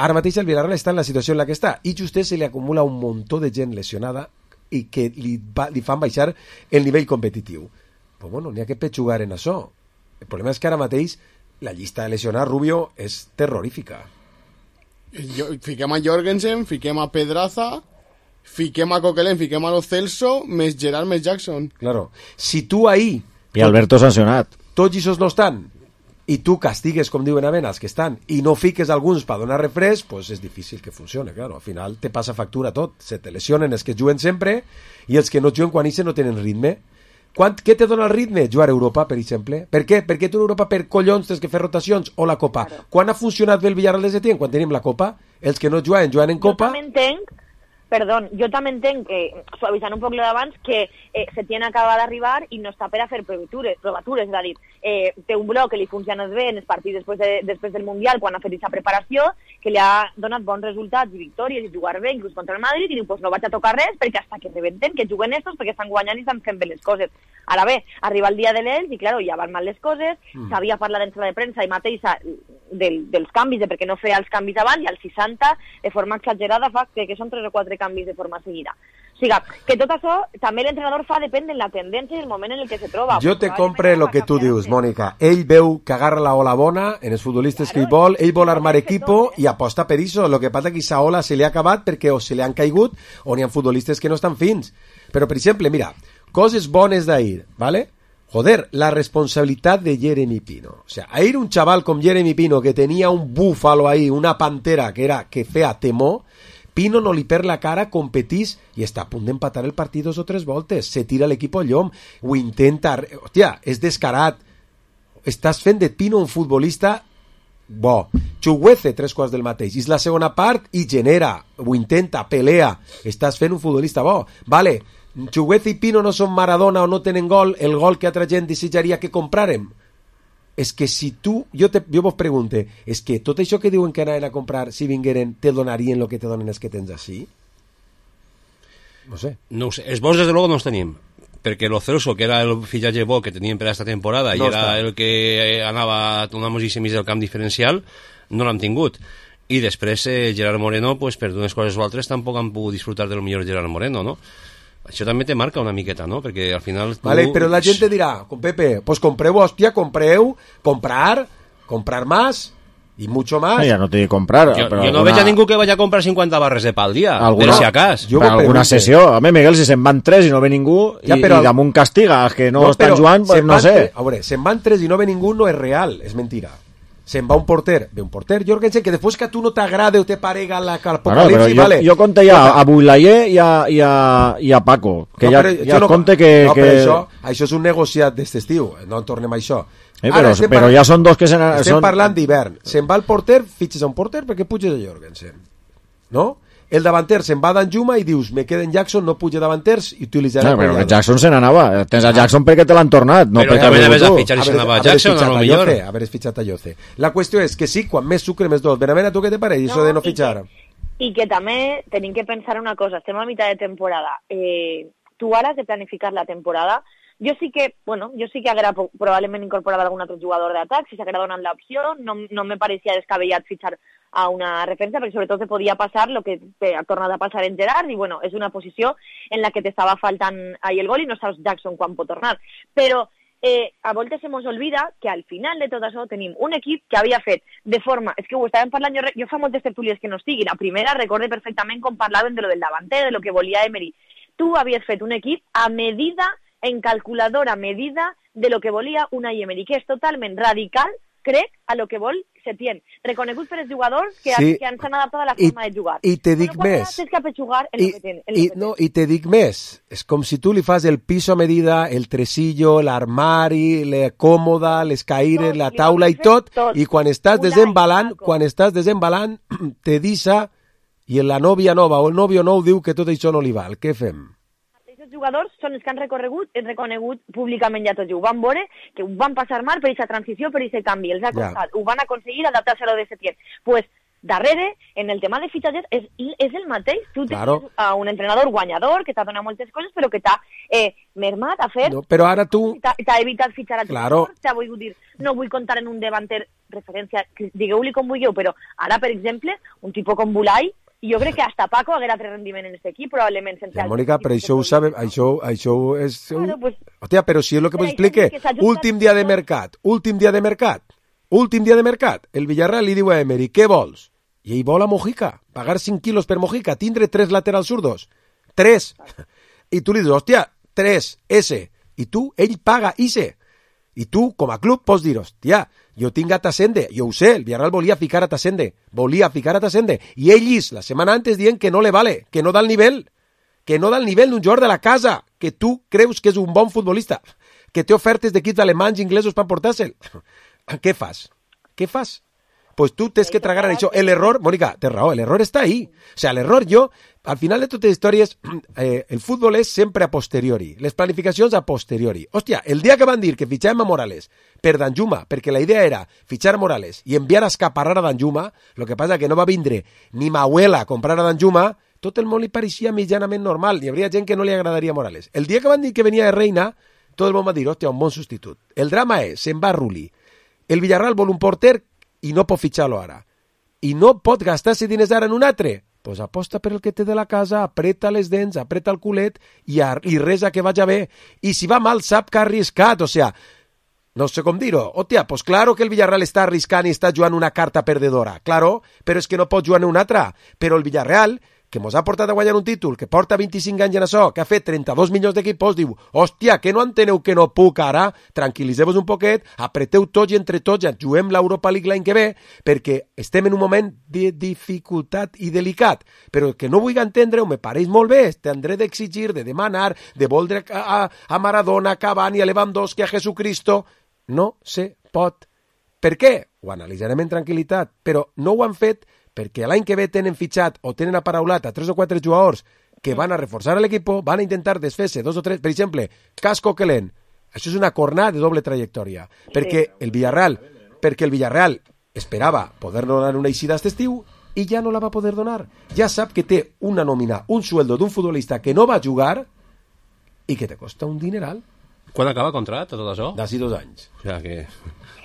Ara mateix el Villarreal està en la situació en la que està, i justament se li acumula un muntó de gent lesionada i que li fan baixar el nivell competitiu. Però bueno, n'hi ha que petxugar en això. El problema és que ara mateix la llista de lesionats, Rubio, és terrorífica. Fiquem a Jorgensen, fiquem a Pedraza, fiquem a Coquelin, fiquem a Lo Celso, més Gerard, més Jackson. Claro. Si tu ahir... I Alberto sancionat. Tots aquests no estan, i tu castigues, com diuen a els que estan, i no fiques alguns per donar refresc, pues és difícil que funcione, claro. Al final te passa factura tot. Se te lesionen els que juguen sempre i els que no juguen quan ixen no tenen ritme. Què te dona el ritme? Jugar a Europa, per exemple. Per què? Perquè tu en Europa per collons tens que fer rotacions o la Copa. Claro. Quan ha funcionat bé el Villarreal de Setién? Quan tenim la Copa. Els que no juguen en Copa. Jo també entenc que, suavitzant un poc l'abans, que Setién acaba d'arribar i no està per a fer provatures, és a dir, té un bloc que li funciona bé en els partits després del Mundial, quan ha fet aquesta preparació, que li ha donat bons resultats i victòries i jugar bé, inclús contra el Madrid, i diu, pues no vaig a tocar res perquè hasta que rebenten, que juguen estos perquè estan guanyant i estan fent bé les coses. Ara bé, arriba el dia de l'Elx i, claro, ja van mal les coses, s'havia parlat en sala de premsa i mateixa dels canvis, de per què no feia els canvis abans, i als 60, de forma exagerada, fa que són 3 o 4 canvis de forma seguida. O sigui, que tot això també l'entrenador fa depèn de la tendència i el moment en el que se troba. Jo te compre el que tu dius, Mònica. Ell veu que agarra la ola bona en els futbolistes que ell vol armar equipo i aposta per això. Lo que passa que aquesta ola se li ha acabat perquè o se li han caigut o n'hi ha futbolistes que no estan fins. Però, per exemple, mira, coses bones d'ahir, ¿vale? Joder, la responsabilitat de Jeremy Pino. O sea, ahir un chaval com Jeremy Pino que tenia un búfalo ahí, una pantera que feia temor, Pino no li perd la cara, competís i està a punt d'empatar el partit 2 o 3 voltes. Se tira l'equip al llom, ho intenta... Hòstia, és descarat. Estàs fent de Pino un futbolista bo. Chuguece 3/4 del mateix. És la segona part i genera, ho intenta, pelea. Estàs fent un futbolista bo. Vale, Chuguece i Pino no són Maradona o no tenen gol, el gol que altra gent desitjaria que comprarem. És que si tu, jo vos pregunte, és que tot això que diuen que anaven a comprar si vingueren, te donarien el que te donen els que tens així? No sé. No ho sé. Els bons, des de luego, no els tenim. Perquè Lo Celso, que era el fitxatge bo que teníem per aquesta temporada, no i era el que anava a donar-nos i semis del camp diferencial, no l'hem tingut. I després Gerard Moreno, pues, per unes coses o altres, tampoc han pogut disfrutar del millor Gerard Moreno, no? Això també te marca una miqueta, no? Perquè al final... Vale, però la gent te dirà, con Pepe, pues compreu, hòstia, comprar más y mucho más. Ya no te comprar. Yo no veig a ningú que vaya a comprar 50 barres de pa al dia, per si acas. Per alguna sessió. A mi, Miguel, si se'n van 3 i no ve ningú, i damunt castiga que no estan jugant, pues no sé. A veure, se'n van 3 i no ve ningú no és real, és mentira. Se'n va un porter, Jorgensen, que després que a tu no t'agrada o te parega l'apocalipsi, vale. Jo conté ja a Builayer i a Paco, que ja conté que... No, però això és un negociat d'este estiu, no en tornem a això. Però ja són dos que estem parlant d'hivern. Se'n va el porter, fitxes a un porter perquè puges a Jorgensen, no? El davanter se'n va a Danjuma i dius, me queda en Jackson, no puja davanters i utilitzaré... No, però que Jackson se n'anava. Tens a Jackson perquè te l'han tornat. No però també anaves a fitxar i se n'anava a Jackson, a lo millor. Haver fitxat a Yoce. La qüestió és que sí, quan més sucre, més dolç. Benavent, a tu què te pareix, això de no fitxar? I que també tenim que pensar una cosa. Estem a mitjà de temporada. Tu ara has de planificar la temporada. Jo sí que haguera probablement incorporat algun altre jugador d'atac, si s'haguera donat l'opció, no me pareixia descabellat fitxar a una defensa, perquè sobretot te podia passar el que ha tornat a passar en Gerard, i bueno, és una posició en la que t'estava faltant ahí el gol i no saps Jackson quan pot tornar. Però a voltes se mos olvida que al final de tot això tenim un equip que havia fet de forma... És que ho estàvem parlant, jo fa moltes tertúlies que no estigui. La primera recorde perfectament com parlaven de lo del davanter, de lo que volia Emery. Tu havies fet un equip a medida, en calculadora medida de lo que volia Unai Emery, que és totalment radical, crec, a lo que vol Setién. Reconegut per els jugadors que han s'han adaptat a la forma de jugar. I te dic més. I te dic més. És com si tu li fas el piso a medida, el tresillo, l'armari, la còmoda, les caires, la taula i tot, i quan estàs desembalant, te deixa i la nòvia nova o el nòvio nou diu que tot això no li val. Què fem? Els jugadors són els que han reconegut públicament ja tot. Ho van veure, que ho van passar mal per aquesta transició, per aquest canvi. Els ha costat. Ho van aconseguir adaptar-se a lo de Setién. Pues, darrere, en el tema de fitxatges, és el mateix. Tu tens a un entrenador guanyador que t'ha donat moltes coses, però que t'ha mermat a fer... No, però ara tu... T'ha evitat fitxar a jugadors, t'ha volgut dir, no vull comptar en un davanter referència, digueu-li com vulgueu, però ara, per exemple, un tipus com Bulai, jo crec que hasta Paco haguera tres rendiment en aquest equip, probablement sense... Ja, Mònica, però això ho sabem, això és... Hòstia, però si és el que m'explique, últim dia de mercat, el Villarreal li diu a Emery, què vols? I ell vol a Mojica, pagar 5 quilos per Mojica, tindre 3 laterals zurdos, 3, i tu li dius, hòstia, 3, S, i tu, ell paga ISE, i tu, com a club, pots dir, hòstia, jo tinc a Tassende, jo ho sé, el Villarreal volia ficar a Tassende, i ell la setmana antes dient que no le vale, que no da el nivell d'un jugador de la casa, que tu creus que és un bon futbolista, que té ofertes d'equips alemanys i inglesos per portar-se'l. Què fas? Pues tu tens que tragar en això. L'error, Mònica, té raó, l'error està ahí. O sea, l'error al final de totes les històries, el futbol és sempre a posteriori, les planificacions a posteriori. Hòstia, el dia que van dir que fitxàvem a Morales per Danjuma, perquè la idea era fitxar a Morales i enviar a escaparrar a Danjuma, lo que passa que no va vindre ni Mahuela a comprar a Danjuma, tot el món li pareixia mitjanament normal, hi hauria gent que no li agradaria a Morales. El dia que van dir que venia de Reina, tot el món va dir, hòstia, un bon substitut. El drama és, se'n va Rulli. El Villarreal vol un porter i no pot fitxar-lo ara. I no pot gastar-se diners ara en un altre. Pues aposta per el que té de la casa, apreta les dents, apreta el culet i resa que vaja bé. I si va mal, sap que ha arriscat. O sea, no sé com dir-ho. Hòstia, pues claro que el Villarreal està arriscant i està jugant una carta perdedora. Claro, però és que no pot jugar en una altra. Però el Villarreal, que mos ha portat a guanyar un títol, que porta 25 anys en això, que ha fet 32 milions d'equipos, diu, hòstia, que no enteneu que no puc ara? Tranquil·litzeu-vos un poquet, apreteu tots i entre tots, ja juguem l'Europa League l'any que ve, perquè estem en un moment de dificultat i delicat. Però que no vull entendre-ho, me pareix molt bé, tindré d'exigir, de demanar, de voldre a Maradona, a Cavani, a Lewandowski, a Jesucristo. No se pot. Per què? Ho analitzarem en tranquil·litat, però no ho han fet perquè l'any que ve tenen fitxat o tenen aparaulat a 3 o 4 jugadors que van a reforçar l'equip, van a intentar desfer-se 2 o 3, per exemple, Cas Coquelin. Això és una cornada de doble trajectòria, perquè el Villarreal esperava poder donar una eixida aquest estiu i ja no la va poder donar. Ja sap que té una nòmina, un sueldo d'un futbolista que no va jugar i que te costa un dineral. Quan acaba el contracte, tot això? D'ací 2 anys. O sea que...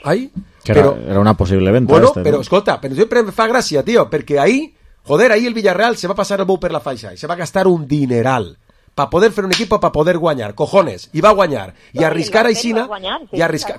Ai, que era una posible venta. Bueno, pero escolta, pero siempre me fa gràcia, tío, porque ahí el Villarreal se va a pasar el bou per la faixa y se va a gastar un dineral para poder hacer un equipo, para poder guanyar, cojones, y va a guanyar. Y arriscar a Isina,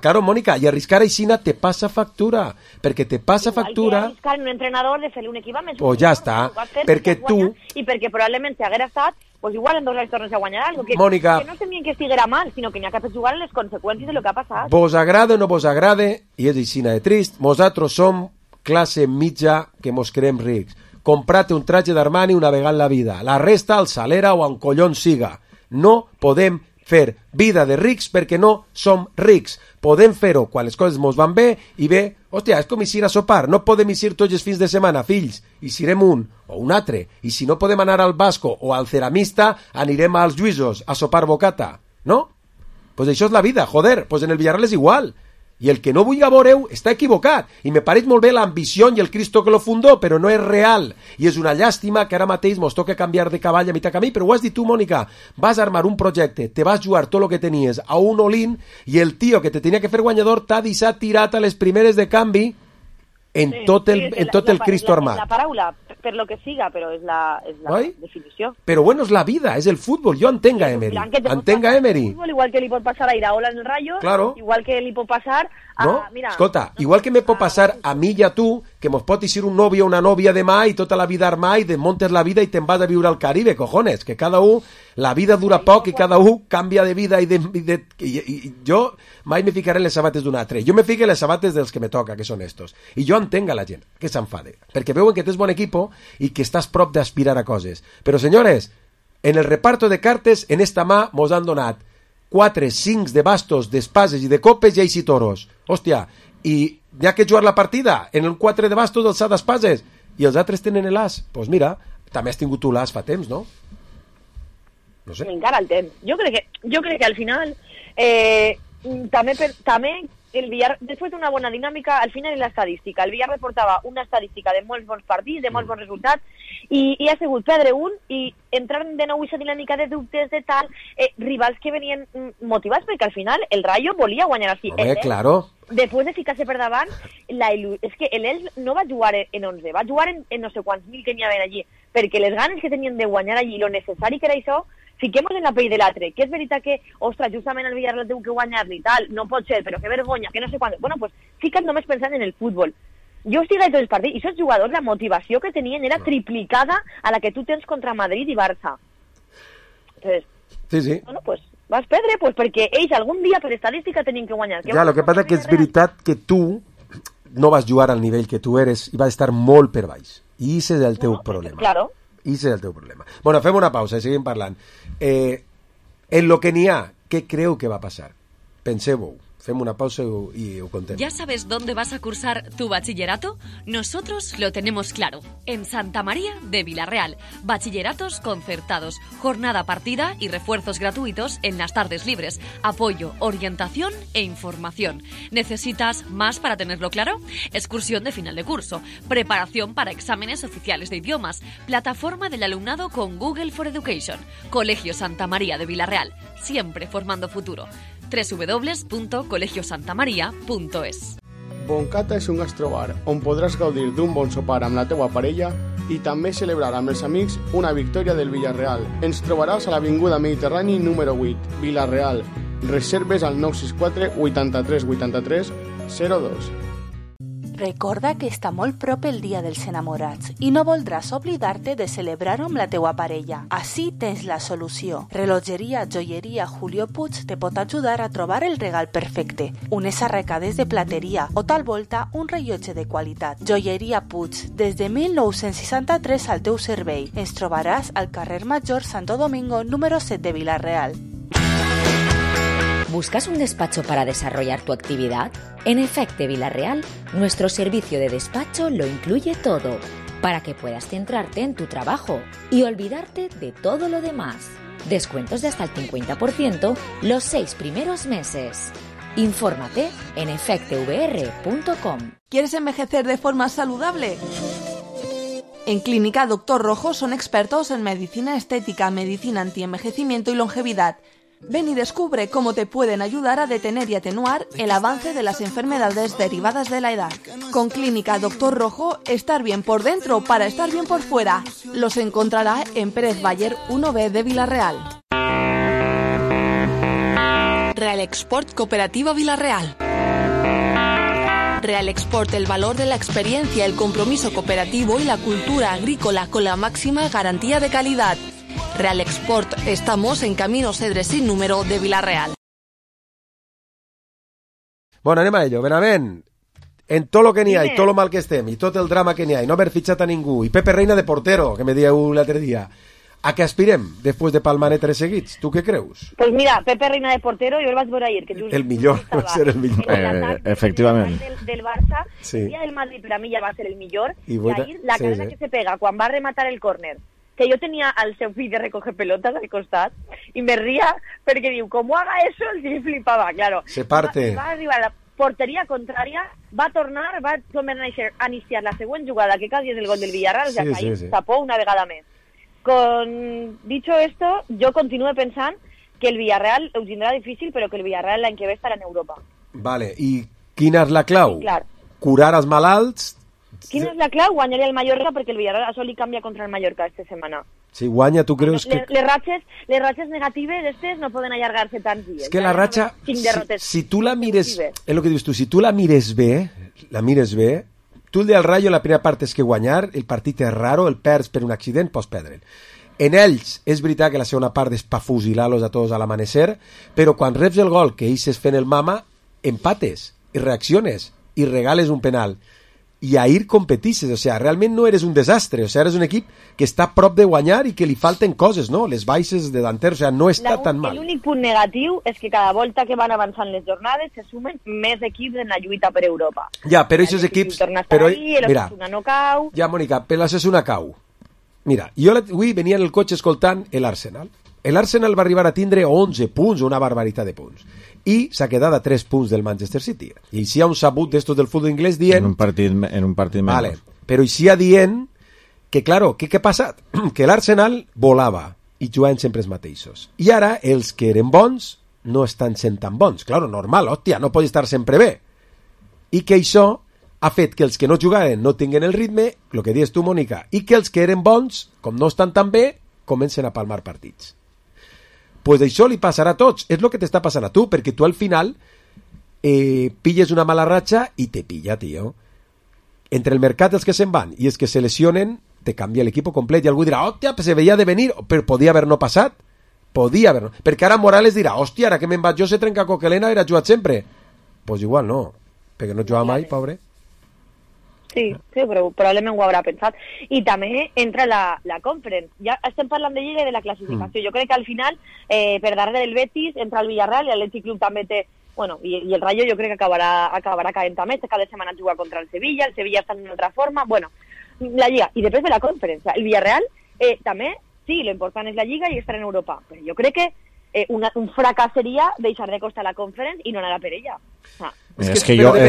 claro, Mónica, y arriscar a Isina te pasa factura, porque te pasa factura... Que arriscar un entrenador de fer un equip més... Pues ja està, perquè tu... I perquè probablement si haguera estat, pues igual en 2 anys tornes a guanyar algo. Que, Mónica, que no temien que estiguera mal, sinó que n'hi ha que jugar en les conseqüències de lo que ha passat. Vos agrade o no vos agrade, i és Isina de trist, nosaltres som classe mitja que mos creem rics. Comprate un traje d'Armani una vegada en la vida. La resta al Salera o en collons siga. No podem fer vida de rics perquè no som rics. Podem fer-ho quan les coses mos van bé i bé, hòstia, és com ir a sopar. No podem ir tots els fins de setmana, fills. I serem un o un altre. I si no podem anar al Basco o al Ceramista, anirem als Lluïsos a sopar bocata. No? Pues això és la vida, joder. Pues en el Villarreal és igual. I el que no vulgui veure-ho està equivocat. I me pareix molt bé l'ambició i el Cristo que lo fundó, però no és real. I és una llàstima que ara mateix mos toca canviar de cavall a mitjà camí, però ho has dit tu, Mònica. Vas armar un projecte, te vas jugar tot el que tenies a un all-in i el tio que te tenia que fer guanyador t'ha deixat tirat a les primeres de canvi en tot el Cristo armat. La paraula, per lo que siga, però és la definició. Però bueno, és la vida, és el futbol. Jo entenc a Emery. Entenc a Emery. Igual que li pot passar a Iraola en el Rayo, claro. Igual que li pot passar a... No? Mira, escolta, igual que me pot passar a mi i a tu, que mos pot eixir un novio o una nòvia demà i tota la vida armar i desmontes la vida i te'n vas a viure al Caribe, cojones, que cada un, la vida dura poc i cada un canvia de vida i jo mai me ficaré en les sabates d'un altre. Jo me fico en les sabates dels que me toca, que són estos. I jo entenc a la gent que s'enfade, perquè veuen que tens bon equipo i que estàs prop d'aspirar a coses. Però, senyores, en el reparto de cartes, en esta mà mos han donat 4, 5 de bastos, d'espases i de copes i eixi toros. Hòstia, i hi ha que jugar la partida en el 4 de bastos del sa d'espases i els altres tenen l'as. Doncs pues mira, també has tingut tu l'as fa temps, no? No sé. Encara el temps. Jo crec que al final també el Villarreal, després d'una bona dinàmica, al final és l'estadística. El Villarreal portava una estadística de molts bons partits, de molts bons resultats, i ha sigut perdre un i entrar de nou aquesta dinàmica de dubtes, de tal, rivals que venien motivats, perquè al final el Rayo volia guanyar així. Home, claro. Després de ficar-se per davant, és que l'Elx no va jugar en 11, va jugar en no sé quants mil que n'hi havia allí, perquè les ganes que tenien de guanyar allí, lo necessari que era això, fiquem-nos en la pell de l'altre, que és veritat que, ostres, justament el Villarreal té que guanyar-li i tal, no pot ser, però que vergonya, que no sé quant. Bueno, pues fica't només pensant en el futbol. Jo estic a tots els partits, i aquests jugadors, la motivació que tenien era triplicada a la que tu tens contra Madrid i Barça. Entonces, sí. Bueno, pues vas perdre, pues perquè ells algun dia per estadística tenien que guanyar. Ja, el que passa que és veritat que tu no vas jugar al nivell que tu eres i vas estar molt per baix. I això és el teu problema. Claro. I és el teu problema. Bueno, fem una pausa i seguim parlant. En lo que n'hi ha, què creu que va passar? Penseu-ho. Fem una pausa y ho contem. ¿Ya sabes dónde vas a cursar tu bachillerato? Nosotros lo tenemos claro. En Santa María de Villarreal. Bachilleratos concertados, jornada partida y refuerzos gratuitos en las tardes libres. Apoyo, orientación e información. ¿Necesitas más para tenerlo claro? Excursión de final de curso. Preparación para exámenes oficiales de idiomas. Plataforma del alumnado con Google for Education. Colegio Santa María de Villarreal. Siempre formando futuro. www.colegiosantamaria.es. Boncata és un gastrobar on podràs gaudir d'un bon sopar amb la teua parella i també celebrar amb els amics una victòria del Villarreal. Ens trobaràs a l'Avinguda Mediterrani número 8, Villarreal. Reserves al 964 83 83 02. Recorda que està molt prop el Dia dels Enamorats i no voldràs oblidar-te de celebrar-ho amb la teua parella. Així tens la solució. Relogeria Joieria Julio Puig te pot ajudar a trobar el regal perfecte. Unes arracades de plateria o tal volta un rellotge de qualitat. Joieria Puig, des de 1963 al teu servei. Ens trobaràs al carrer Major Santo Domingo número 7 de Villarreal. ¿Buscas un despacho para desarrollar tu actividad? En Efecte Villarreal, nuestro servicio de despacho lo incluye todo, para que puedas centrarte en tu trabajo y olvidarte de todo lo demás. Descuentos de hasta el 50% los 6 primeros meses. Infórmate en efectevr.com. ¿Quieres envejecer de forma saludable? En Clínica Dr. Rojo son expertos en medicina estética, medicina antienvejecimiento y longevidad. Ven y descubre cómo te pueden ayudar a detener y atenuar el avance de las enfermedades derivadas de la edad. Con Clínica Doctor Rojo, estar bien por dentro para estar bien por fuera. Los encontrará en Pérez Bayer 1B de Villarreal. Real Export Cooperativa Villarreal. Real Export, el valor de la experiencia, el compromiso cooperativo y la cultura agrícola con la máxima garantía de calidad. Real Export, estamos en Camino Cedres sin número de Villarreal. Bueno, anem a ello. Benavent, en tot lo que n'hi ha i tot lo mal que estem i tot el drama que n'hi ha i no haver fitxat a ningú i Pepe Reina de portero, que me dieu l'altre dia, a què aspirem després de palmar 3 seguits? Tu què creus? Pues mira, Pepe Reina de portero, jo el vaig veure ayer. Que el millor, va ser el millor. Efectivament. Del Barça, sí. El día del Madrid per a mi ja va ser el millor. I ahir, la carrera que se pega quan va rematar el córner, que yo tenía al seu fill de recoger pelotas al costat y me ría porque digo, ¿cómo haga eso? El sí flipaba, claro. Se parte. Va arribar a la portería contraria, va a tornar, va a iniciar la següent jugada, que casi es el gol del Villarreal, o sea, que ahí tapó una vegada més. Dicho esto, yo continúo pensando que el Villarreal ho tindrà difícil, però que el Villarreal l'any que ve estarà en Europa. Vale, i quina és la clau? Sí, clar. Curar els malalts? Quina és la clau? Guanyaria el Mallorca, perquè el Villarreal això li canvia contra el Mallorca esta setmana. Si guanya, tu creus que... Les ratxes negatives estes no poden allargar-se tants dies. És que la ratxa, si tu la mires, és el que dius tu, si tu la mires bé, tu el del Rayo la primera part és que guanyar, el partit és raro, el perds per un accident, pots perdre'l. En ells, és veritat que la segona part és pa fusilar-los a tots a l'amanecer, però quan reps el gol que ells es fent el mama, empates, i reacciones, i regales un penal. I ahir competisses, o sea, realment no eres un desastre, o sea, eres un equip que està a prop de guanyar i que li falten coses, no? Les baixes de davanter, o sea, no està tan mal. L'únic punt negatiu és que cada volta que van avançant les jornades se sumen més equips en la lluita per Europa. Ja, però aquests equips... Però, mira, no cau... Ja, Mònica, per l'Osasuna cau. Mira, jo avui venia en el cotxe escoltant l'Arsenal. L'Arsenal va arribar a tindre 11 punts, una barbaritat de punts. I s'ha quedat a 3 punts del Manchester City. I si hi ha un sabut d'estos del futbol inglès dient... En un partit menys. Vale, però hi ha dient que, claro, què ha passat? Que l'Arsenal volava i jugaven sempre els mateixos. I ara els que eren bons no estan sent tan bons. Claro, normal, hòstia, no pot estar sempre bé. I que això ha fet que els que no jugaven no tinguin el ritme, el que dius tu, Mònica, i que els que eren bons, com no estan tan bé, comencen a palmar partits. Pues això li passarà a tots, és el que t'està passant a tu, perquè tu al final pilles una mala ratxa i te pilla, tio. Entre el mercat dels que se'n van i els que se lesionen, te canvia l'equip complet, i algú dirà, hòstia, se veia de venir, però podia haver no passat, perquè ara Morales dirà, hòstia, ara que me'n vaig jo se trenca Coquelena, era jugat sempre. Pues igual no, perquè no jugava mai, pobre. Sí, però probablement ho haurà pensat. I també entra la Conference. Ja estem parlant de Lliga i de la classificació. Jo crec que al final, per darrere del Betis, entra el Villarreal i l'Atlètic Club també té... Bueno, i el Rayo jo crec que acabarà caent també. Cada setmana juga contra el Sevilla està en una altra forma. Bueno, la Lliga. I després de la Conference. El Villarreal també, sí, lo important és la Lliga i estar en Europa. Però jo crec que un fracàs seria deixar de costar la Conference i no anar per ella. És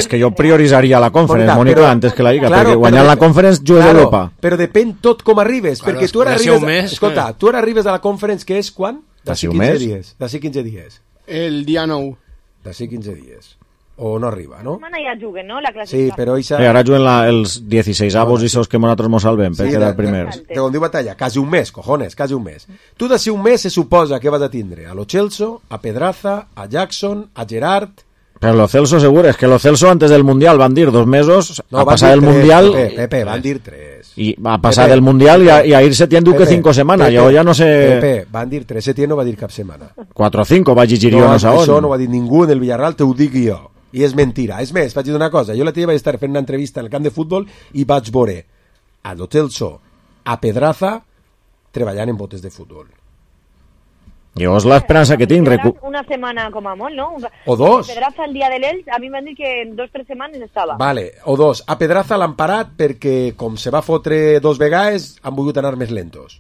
que jo prioritzaria la Conference, Mònica, antes que la Lliga, perquè guanyant la Conference jugues a Europa. Però depèn tot com arribes, perquè tu ara arribes... Escolta, tu ara arribes a la Conference, que és quan? D'ací 15 dies. D'ací 15 dies. El dia 9. D'ací 15 dies. O no arriba, no? Setmana ja juguen, no? La classificació. Sí, però ara juguen els 16avos i sos que nosaltres mos salvem per quedar primers. Com diu Batalla, quasi un mes, cojones, quasi un mes. Tu d'ací un mes se suposa que vas a tindre a Lo Celso, a Pedraza, a Jackson, a Gerard... Pero Lo Celso seguro, es que Lo Celso antes del Mundial van dir 2 mesos, no, a pasar del Mundial... Pepe, van dir 3. Y a pasar del Mundial y a irse tiendo que 5 semanas, yo ya no sé... Pepe, van dir 3, Setién no va dir cap setmana. 4 o 5, va llegir jo no sé on. Això no va dir ningú en el Villarreal, t'ho dic jo. I és mentira. És més, vaig dir una cosa, jo l'altre dia vaig estar fent una entrevista en el camp de futbol i vaig veure a Lo Celso, a Pedraza, treballant en botes de futbol. Jo és l'esperança que tinc. Una setmana com a molt, no? O 2. Pedraza el dia de l'Elx, a mi m'han dit que en 2 o 3 setmanes estava. Vale, o 2. A Pedraza l'han parat perquè, com se va fotre 2 vegades, han volgut anar més lentos.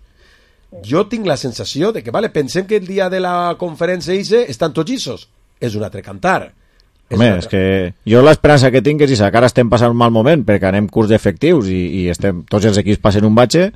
Jo tinc la sensació de que, vale, pensem que el dia de la conferència estan tots llissos. És un altre cantar. Home, és que jo l'esperança que tinc és que ara estem passant un mal moment perquè anem curs d'efectius i estem, tots els equips passen un batxe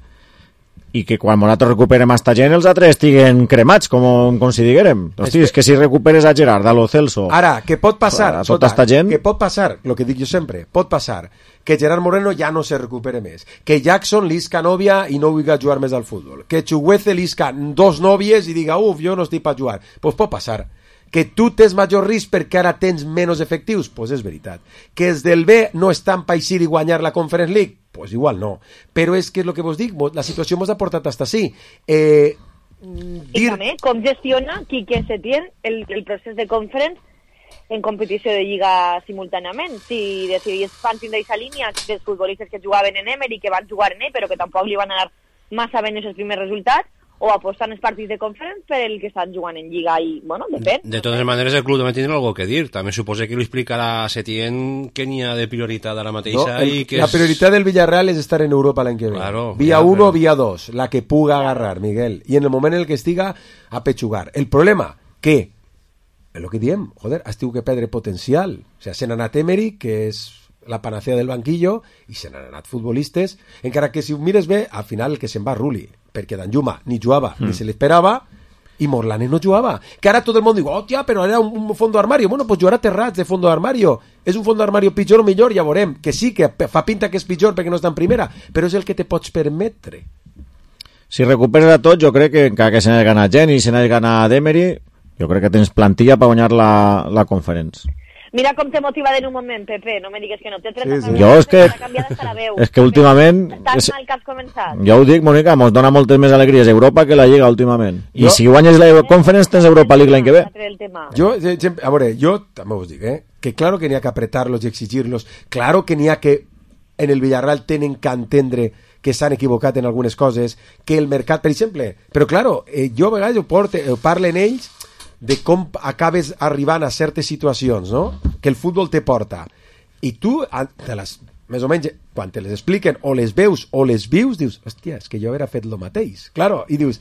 i que quan nosaltres recuperem esta gent els altres estiguen cremats, com si diguérem. Hosti, és que si recuperes a Gerard, a Lo Celso... Ara, que pot passar, a tota esta gent... que pot passar, el que dic jo sempre, pot passar que Gerard Moreno ja no se recupere més, que Jackson lisca nòvia i no vulgui jugar més al futbol, que Chuguece lisca 2 nòvies i diga, jo no estic per jugar. Pues pot passar. Que tu tens major risc perquè ara tens menys efectius, pues és veritat. Que els del B no estan per eixir i guanyar la Conference League, pues igual no. Però és que és el que vos dic, la situació ens ha portat hasta així. I també, com gestiona Quique Setién el procés de Conference en competició de Lliga simultàniament? Si decidís fan tindre aquesta línia dels futbolistes que jugaven en Emery, que van jugar en ell, però que tampoc li van anar massa bé els primers resultats, o apostant els partits de Conference per el que estan jugant en Lliga i, bueno, depèn. De totes maneres, el club també tindrà algo que dir. També suposa que li explicarà a Setién que n'hi ha de prioritat ara mateixa. La prioritat del Villarreal és estar en Europa l'any que ve. Claro, via 1 o via 2, la que puga agarrar, Miguel. I en el moment en el que estiga, a pechugar. El problema, que, és el que diem, joder, has tingut que perdre potencial. O sigui, se n'ha anat Emery, que és la panacea del banquillo, i se n'han anat futbolistes, encara que si ho mires bé, al final el que se'n va Rulli, perquè Danjuma ni jugava ni se l'esperava, i Morlane no jugava. Que ara tot el món diu, hòstia, però era un fondo d'armario. Bueno, pues jugarà Terrats de fondo d'armario. És un fondo d'armario pitjor o millor, ja veurem. Que sí, que fa pinta que és pitjor perquè no està en primera, però és el que te pots permetre. Si recuperes a tot, jo crec que encara que se n'hagi ganat gent i se n'hagi ganat Emery, jo crec que tens plantilla per guanyar la Conference. Mira com te motiva en un moment, Pepe, no me digues que no. Té 30 sí. Jo és que últimament... Tan mal que has començat. Jo ho dic, Mònica, mos dona moltes més alegries Europa que la Lliga últimament. I si guanyes la Conference tens Europa League l'any que ve. Jo, a veure, jo també us dic, que claro que n'hi ha que apretar-los i exigir-los, claro que n'hi ha que en el Villarreal tenen que entendre que s'han equivocat en algunes coses, que el mercat, per exemple, però claro, jo a vegades ho parlen ells de com acabes arribant a certes situacions, no? Que el futbol te porta. I tu, més o menys, quan te les expliquen, o les veus o les vius, dius, hòstia, és que jo hauria fet el mateix. Claro, i dius,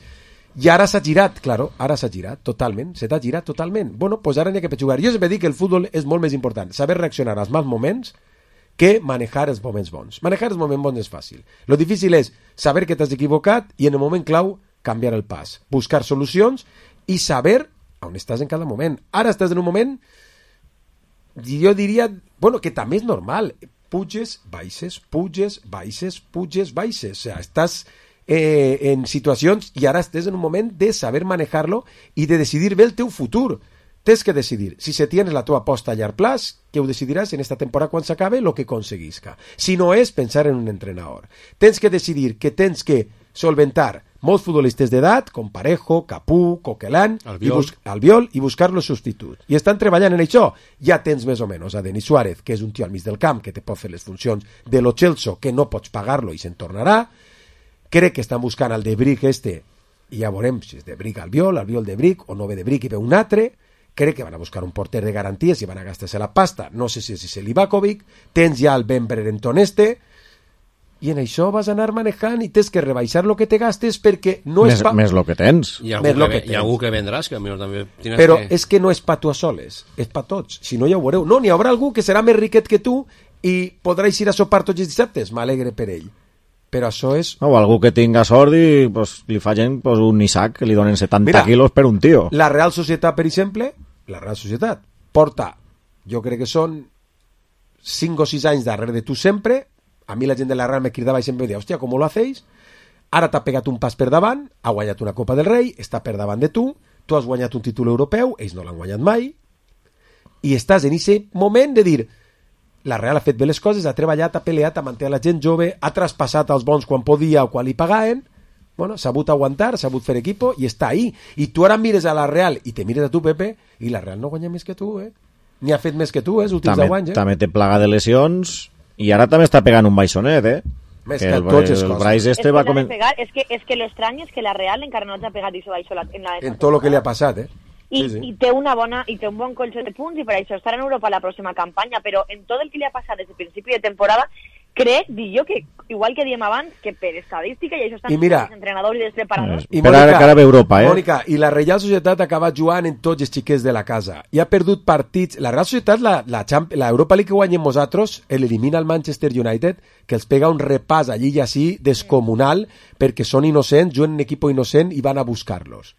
i ara s'ha girat, claro, ara s'ha girat totalment, se t'ha girat totalment. Bueno, pues ara n'hi ha que jugar. Jo sempre dic que el futbol és molt més important, saber reaccionar als mals moments que manejar els moments bons. Manejar els moments bons és fàcil. Lo difícil és saber que t'has equivocat i en el moment clau canviar el pas, buscar solucions i saber on estàs en cada moment. Ara estàs en un moment, jo diria, bueno, que també és normal. Puges, baixes, puges, baixes, puges, baixes. O sigui, estàs en situacions i ara estàs en un moment de saber manejar-lo i de decidir bé el teu futur. Tens que decidir. Si se tienes la tua aposta a llarg plaç, que ho decidiràs en esta temporada quan s'acabe lo que aconseguisca. Si no és, pensar en un entrenador. Tens que decidir que tens que solventar molts futbolistes d'edat, com Parejo, Capú, Coquelin, Albiol, i buscar-los substituts. I estan treballant en això. Ja tens més o menys a Denis Suárez, que és un tio al mig del camp, que te pot fer les funcions de lo Chelsea, que no pots pagar-lo i se'n tornarà. Crec que estan buscant el de Brick i ja veurem si és de Brick Albiol de Brick, o no ve de Brick i ve un altre. Crec que van a buscar un porter de garanties i van a gastar-se la pasta. No sé si és Livakovic. Tens ja el Ben Brereton i en això vas anar manejant i tens que rebaixar lo que te gastes perquè no és més lo que tens. Hi ha algú que vendràs, que millor també tienes però és que no és pa tu a soles, és pa tots. Si no ja ho veureu. No, n'hi haurà algú que serà més riquet que tu i podràs ir a sopar tots els dissabtes. M'alegre per ell. Però això és... O algú que tinga sort i pues, li facin pues, un Isaac que li donen 70 quilos per un tio. La Real Societat, per exemple, la Real Societat porta, jo crec que són 5 o 6 anys darrere de tu sempre. A mi la gent de la Real me cridava i sempre deia, hòstia, com ho hacéis? Ara t'ha pegat un pas per davant, ha guanyat una Copa del Rei, està per davant de tu has guanyat un títol europeu, ells no l'han guanyat mai, i estàs en aquest moment de dir, la Real ha fet bé les coses, ha treballat, ha peleat, ha manté la gent jove, ha traspassat els bons quan podia o quan li pagaven, bueno, s'ha sabut aguantar, s'ha sabut fer equipo, i està ahí. I tu ara mires a la Real i te mires a tu, Pepe, i la Real no guanya més que tu, ni ha fet més que tu, els últims 10 anys. També té plaga de lesions... I ara també està pegant un baixonet, Més que tots els Bryce va començar... És que lo estrany és que la Real encara no ha pegat això baixo en tot el que li ha passat, I té un bon colxó de punts i per això estarà en Europa la pròxima campanya, però en tot el que li ha passat des del principi de temporada crec, dic jo, que igual que diem abans, que per estadística, i això estan els entrenadors i els preparadors. I Mònica, cara ve Europa, Mònica, i la Reial Societat acaba jugant en tots els xiquets de la casa. I ha perdut partits. La Real Societat, la Europa League que guanyem nosaltres, l'elimina el Manchester United, que els pega un repàs allí i així descomunal, perquè són innocents, juguen en equip innocent i van a buscar-los.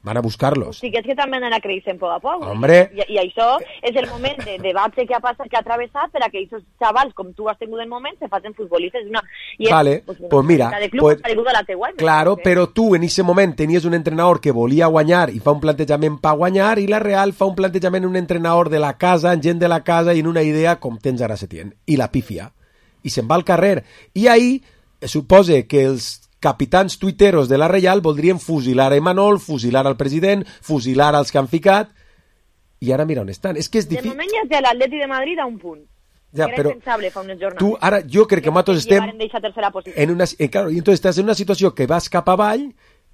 Van a buscar-los. Sí, que és que també anen a créixer poc a poc. Hombre. I això és el moment de debat que ha travessat per a que aquests xavals, com tu has tingut en moment, se facin futbolistes. Vale, pues mira. Claro, però tu en aquest moment tenies un entrenador que volia guanyar i fa un plantejament per guanyar, i la Real fa un plantejament un entrenador de la casa, en gent de la casa i en una idea com tens ara Setién. I la pifia. I se'n va al carrer. I ahí suposa que els capitans tuiteros de la Reial voldrien fusilar a Imanol, fusilar al president, fusilar als que han ficat, i ara mira on estan. És que és difícil. De moment ja té l'Atleti de Madrid a un punt. Ja, era però impensable fa unes jornades. tu, ara, jo crec que nosaltres estem en una, claro, i entonces estàs en una situació que vas cap avall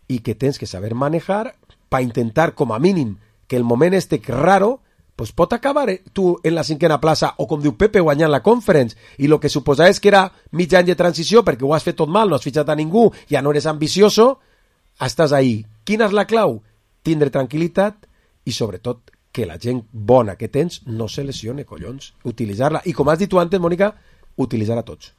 i que tens que saber manejar per intentar, com a mínim, que el moment este raro pues pot acabar tu en la cinquena plaça o, com diu Pepe, guanyant la Conference, i el que suposava és que era mig any de transició perquè ho has fet tot mal, no has fitxat a ningú, ja no eres ambicioso, estàs ahí. Quina és la clau? Tindre tranquil·litat i, sobretot, que la gent bona que tens no se lesione, collons. Utilitzar-la. I, com has dit tu antes, Mònica, utilitzar a tots.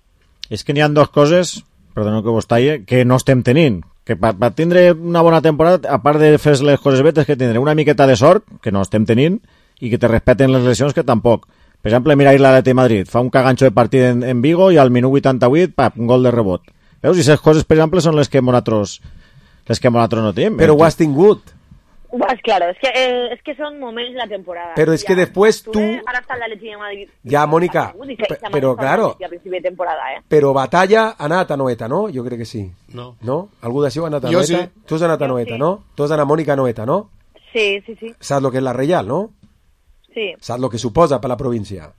És que n'hi ha dues coses, perdoneu que vos talle, que no estem tenint. Que per tindre una bona temporada, a part de fer les coses betes, que tindre una miqueta de sort, que no estem tenint, i que te respeten les lesions, que tampoc. Per exemple, mira l'Atleti de Madrid, fa un caganxo de partit en Vigo i al minut 88, pap, un gol de rebot. Veus? I aquestes coses, per exemple, són les que nosaltres no tenim. Però ho has tingut. Claro, es que son momentos de la temporada. Pero es que después tú... Ahora está el Atleti de Madrid. Ya, Mónica, pero claro... A principi de temporada, Però batalla ha anat a Noeta, no? Jo crec que sí. No. No? Algú d'això ha anat a Noeta? Sí. Tu has anat a Noeta, sí. no? Tu has anat a Mònica Noeta, no? Sí. Saps lo que és la Reial, no? Sí. Saps lo que suposa per la província?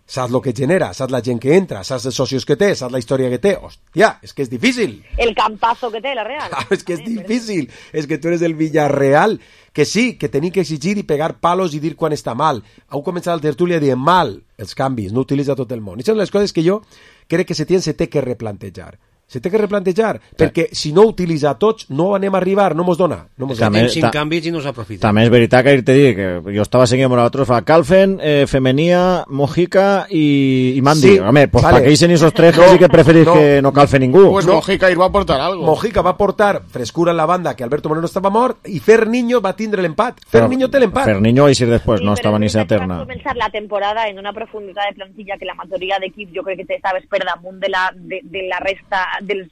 Saps lo que genera? Saps la gent que entra? Saps els socios que té? Saps la història que té? Hòstia, és que és difícil. El campazo que té la Real. Claro, és que és difícil. És que tu eres el Villarreal. Que sí, que tenim que exigir i pegar palos i dir quan està mal. Heu començat el tertúlia dient mal els canvis, no utilitza tot el món. I són les coses que jo crec que se té que replantejar. Se té que replantejar, perquè si no utilitza tots, no anem a arribar, no mos dona. Tenim 5 canvis i no s'aprofita. També és veritat que te dic que jo estava seguint amb nosaltres, fa Calfen, Femenia, Mojica i Mandi. Sí, home, pues vale. para que dicen esos tres, casi que preferís que no calfe ningú. Pues Mojica va a aportar algo. Mojica va aportar frescura en la banda, que Alberto Moreno estava mort, i Ferniño va tindre l'empat. Ferniño té l'empat. Ferniño i si després no estava ni eterna. Va començar la temporada en una profunditat de plantilla que la majoria d'equips jo crec que estaves per damunt de la resta dels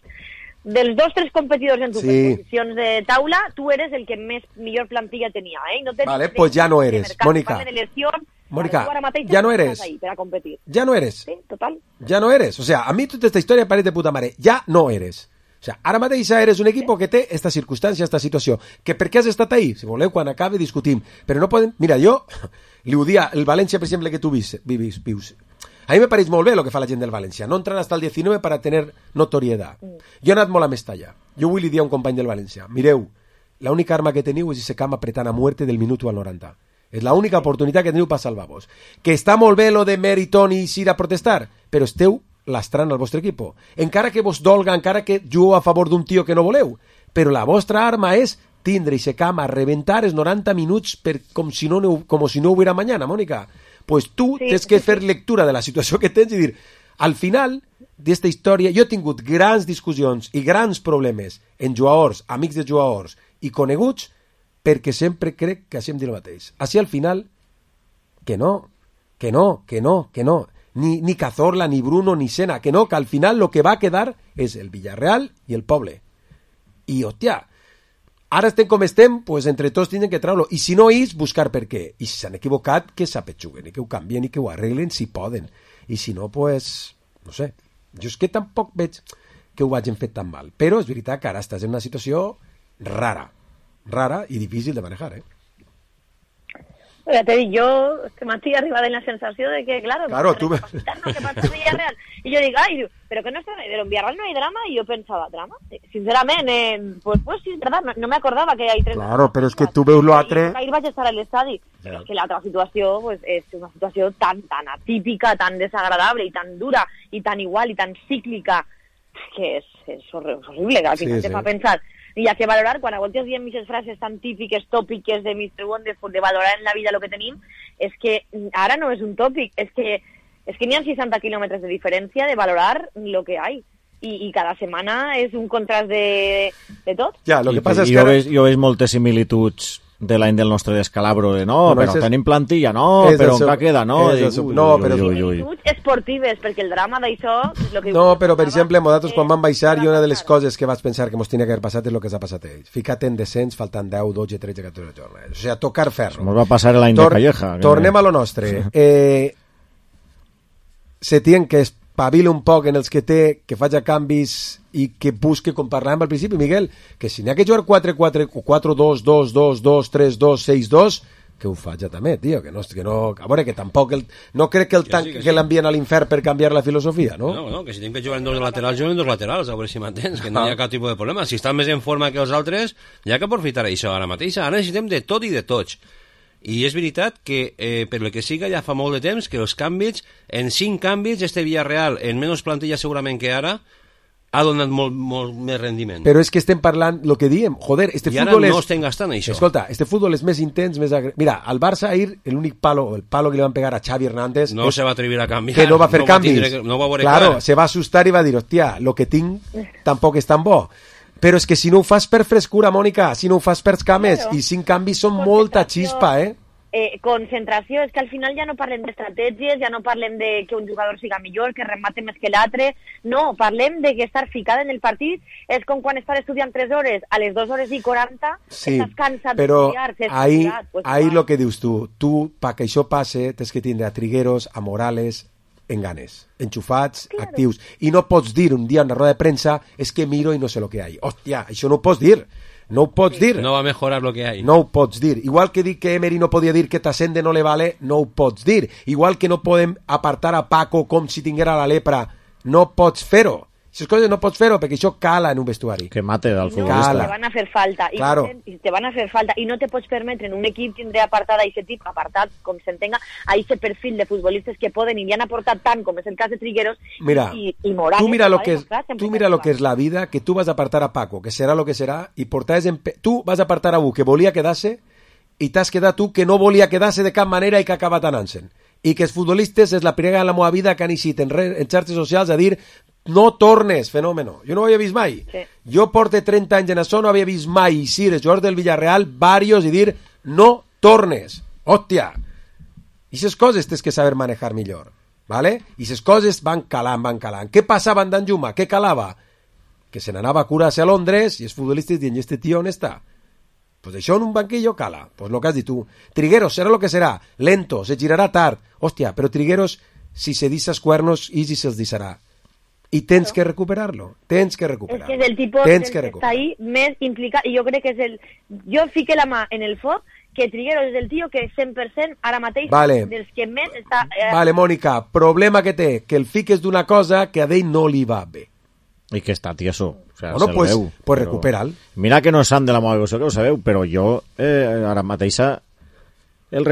2-3 competidors en tus posicions de taula, tu eres el que millor plantilla tenia, No vale, pues ja no eres, Mònica. Mónica, ja no eres. Ja no eres. Sí, total. Ja no eres. O sea, a mi tota esta història pareix de puta mare. Ja no eres. O sea, ara mateix eres un equip que té esta circumstància, esta situació. Que per què has estat ahí? Si voleu, quan acabi discutim. Però no podem... Mira, jo li ho dia, el València, per exemple, que tu vius. A mi me pareix molt bé el que fa la gent del València. No entran hasta el 19 para tener notoriedad. Jo he anat molt a Mestalla. Jo vull li dir a un company del València. Mireu, l'única arma que teniu és ese camp apretant a muerte del minut al 90. És l'única oportunitat que teniu per salvar-vos. Que està molt bé lo de Meriton i ir a protestar, però esteu lastrant al vostre equip. Encara que vos dolga, encara que jugueu a favor d'un tio que no voleu. Però la vostra arma és tindre ese camp a reventar els 90 minuts com si no hubiera mañana, Mònica. Pues tu tens que fer lectura de la situació que tens i dir, al final d'esta història jo he tingut grans discussions i grans problemes en jugadors, amics de jugadors i coneguts, perquè sempre crec que hacem dir el mateix. Així al final, que no. Ni Cazorla, ni Bruno, ni Sena, que no, que al final lo que va a quedar és el Villarreal i el poble. I, hòstia, ara estem com estem, pues entre tots tenen que treure-lo. I si no és, buscar per què. I si s'han equivocat, que s'apetxuguen i que ho canvien i que ho arreglen si poden. I si no, pues, no sé. Jo és que tampoc veig que ho hagin fet tan mal. Però és veritat que ara estàs en una situació rara i difícil de manejar, Ya te digo, yo este matí arriba de la sensación de que, claro, tú ves. ¿Qué pasa en Villarreal? Y yo digo, ay, pero que no está, pero en Villarreal no hay drama, y yo pensaba, ¿drama? Sinceramente, pues sí, es verdad, no me acordaba que hay 3. Claro, però és que tu veus l'altre... Ahir vaig estar a l'estadi, però és que l'altra situació pues, és una situació tan atípica, tan desagradable, i tan dura, i tan igual, i tan cíclica, que és horrible, que al final te fa pensar... Y hay que valorar, quan a voltes diem aquestes frases tan típiques, tòpiques de Mr. Wonderful, de valorar en la vida lo que tenim, és que ara no és un tòpic, és que n'hi ha 60 quilòmetres de diferència de valorar lo que hay. I cada setmana és un contrast de tot. Ja, lo que passa és que... Jo veig moltes similituds de l'any del nostre descalabro, de no, però tenim plantilla, no, però encara queda, no? No, però... esportives, perquè el drama d'això... No, però, per exemple, nosaltres quan vam baixar, i una de les coses que vaig pensar que mos tenia que haver passat és el que s'ha passat a ells. Fica't en descens, faltant 10, 12, 13, 14 jornades. O sigui, tocar ferro. Mos va passar l'any de Calleja. Tornem a lo nostre. Setién que espavila un poc en els que té, que faci canvis i que busque, com parlàvem al principi, Miguel, que si n'hi ha que jugar 4-4, 4-2, 2-2, 3-2, 6-2, que ho faci també, tio, que no, a veure, que tampoc no crec que l'envien a l'infern per canviar la filosofia, no? No, que si tenim que jugar en dos laterals, juguen en dos laterals, a veure si m'entens, que no hi ha cap tipus de problema. Si estan més en forma que els altres, hi ha que aprofitar això ara mateix. Ara necessitem de tot i de tots. I és veritat que, per el que siga, ja fa molt de temps que els canvis, en 5 canvis, este Villarreal, en menys plantilla segurament que ara, ha donat molt més rendiment. Però és que estem parlant, el que diem, joder, este I futbol ara no estem gastant això. Escolta, este futbol és més intens, més Mira, al Barça ahir, l'únic palo, el palo que li van pegar a Xavi Hernández... No se va atrevir a canviar. Que no va fer canvis. No va veure claro, se va assustar i va dir, hòstia, lo que tinc tampoc és tan bo. Però és que si no ho fas per frescura, Mònica, si no ho fas per cames, i 5 canvis són molta xispa, concentració, és que al final ja no parlem d'estratègies, ja no parlem de que un jugador siga millor, que remate més que l'altre, no, parlem de que estar ficada en el partit és com quan estàs estudiant 3 hores, a les 2 hores i 40 estàs cansat d'estudiar. Però ahí lo que dius tu, perquè això passe, tens que tindre a Trigueros, a Morales, en ganes, enxufats, actius, i no pots dir un dia en una roda de premsa és que miro i no sé lo que hay. Hòstia, això no ho pots dir. No ho pots dir. No va a mejorar lo que hay. No ho pots dir. Igual que dic que Emery no podia dir que Tassende no le vale, no ho pots dir. Igual que no podem apartar a Paco com si tinguera la lepra. No pots fer-ho. Aquestes coses no pots fer-ho perquè això cala en un vestuari. Que mate del futbolista. No, te van a fer falta. Claro. Te van a fer falta. I no te pots permetre en un equip tindre apartat a aquest tip, apartat, com s'entenga, a aquest perfil de futbolistes que poden i li han aportat tant, com és el cas de Trigueros, mira, i Morales. Tu mira lo que és la vida, que tu vas apartar a Paco, que serà lo que serà, i tu vas apartar a un que volia quedar-se i t'has quedat tu que no volia quedar-se de cap manera i que ha acabat anant-se'n. I que els futbolistes és la primera de la meva vida que han eixit en xarxes socials a dir no tornes, fenòmeno. Jo no ho havia vist mai. Sí. Jo porto 30 anys en això, no havia vist mai eixir els jugadors del Villarreal varios i dir no tornes. Hòstia! I aquestes coses tens que saber manejar millor. ¿Vale? I aquestes coses van calant. Què passava en Danjuma? Què calava? Que se n'anava a curar-se a Londres i els futbolistes diuen, ¿y este tío on està? Pues això en un banquillo cala. Pues lo que has dit tu. Trigueros serà lo que serà. Lento, se girarà tard. Hòstia, però Trigueros, si se dissa els cuernos, i si se'ls dissarà. I tens que recuperar-lo. És que és el tipus que està ahí més implicat, i jo crec que és el... Jo fique la mà en el foc que Trigueros és el tio que 100% ara mateix dels que més està... Vale, Mònica, problema que té, que el fiques d'una cosa que a ell no li va bé. I que està tieso. O sea, bueno, pues recupera'l. Mira que no és sant de la meva devoció, que ho sabeu, però jo ara mateixa és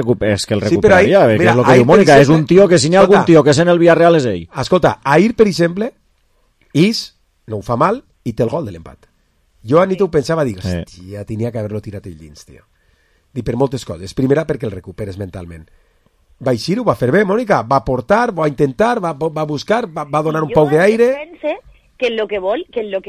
que el recuperaria, que és el que diu Mònica, és un tio que si n'hi ha algun tio que és en el Villarreal és ell. Escolta, ahir, per exemple, no ho fa mal i té el gol de l'empat. Jo a nit ho pensava, dic, hòstia, tenia que haver-lo tirat el dins, tio. Dic, per moltes coses. Primera, perquè el recuperes mentalment. Va eixir, ho va fer bé, Mònica, va portar, va intentar, va buscar, va donar un poc d'aire. Jo pense que en lo que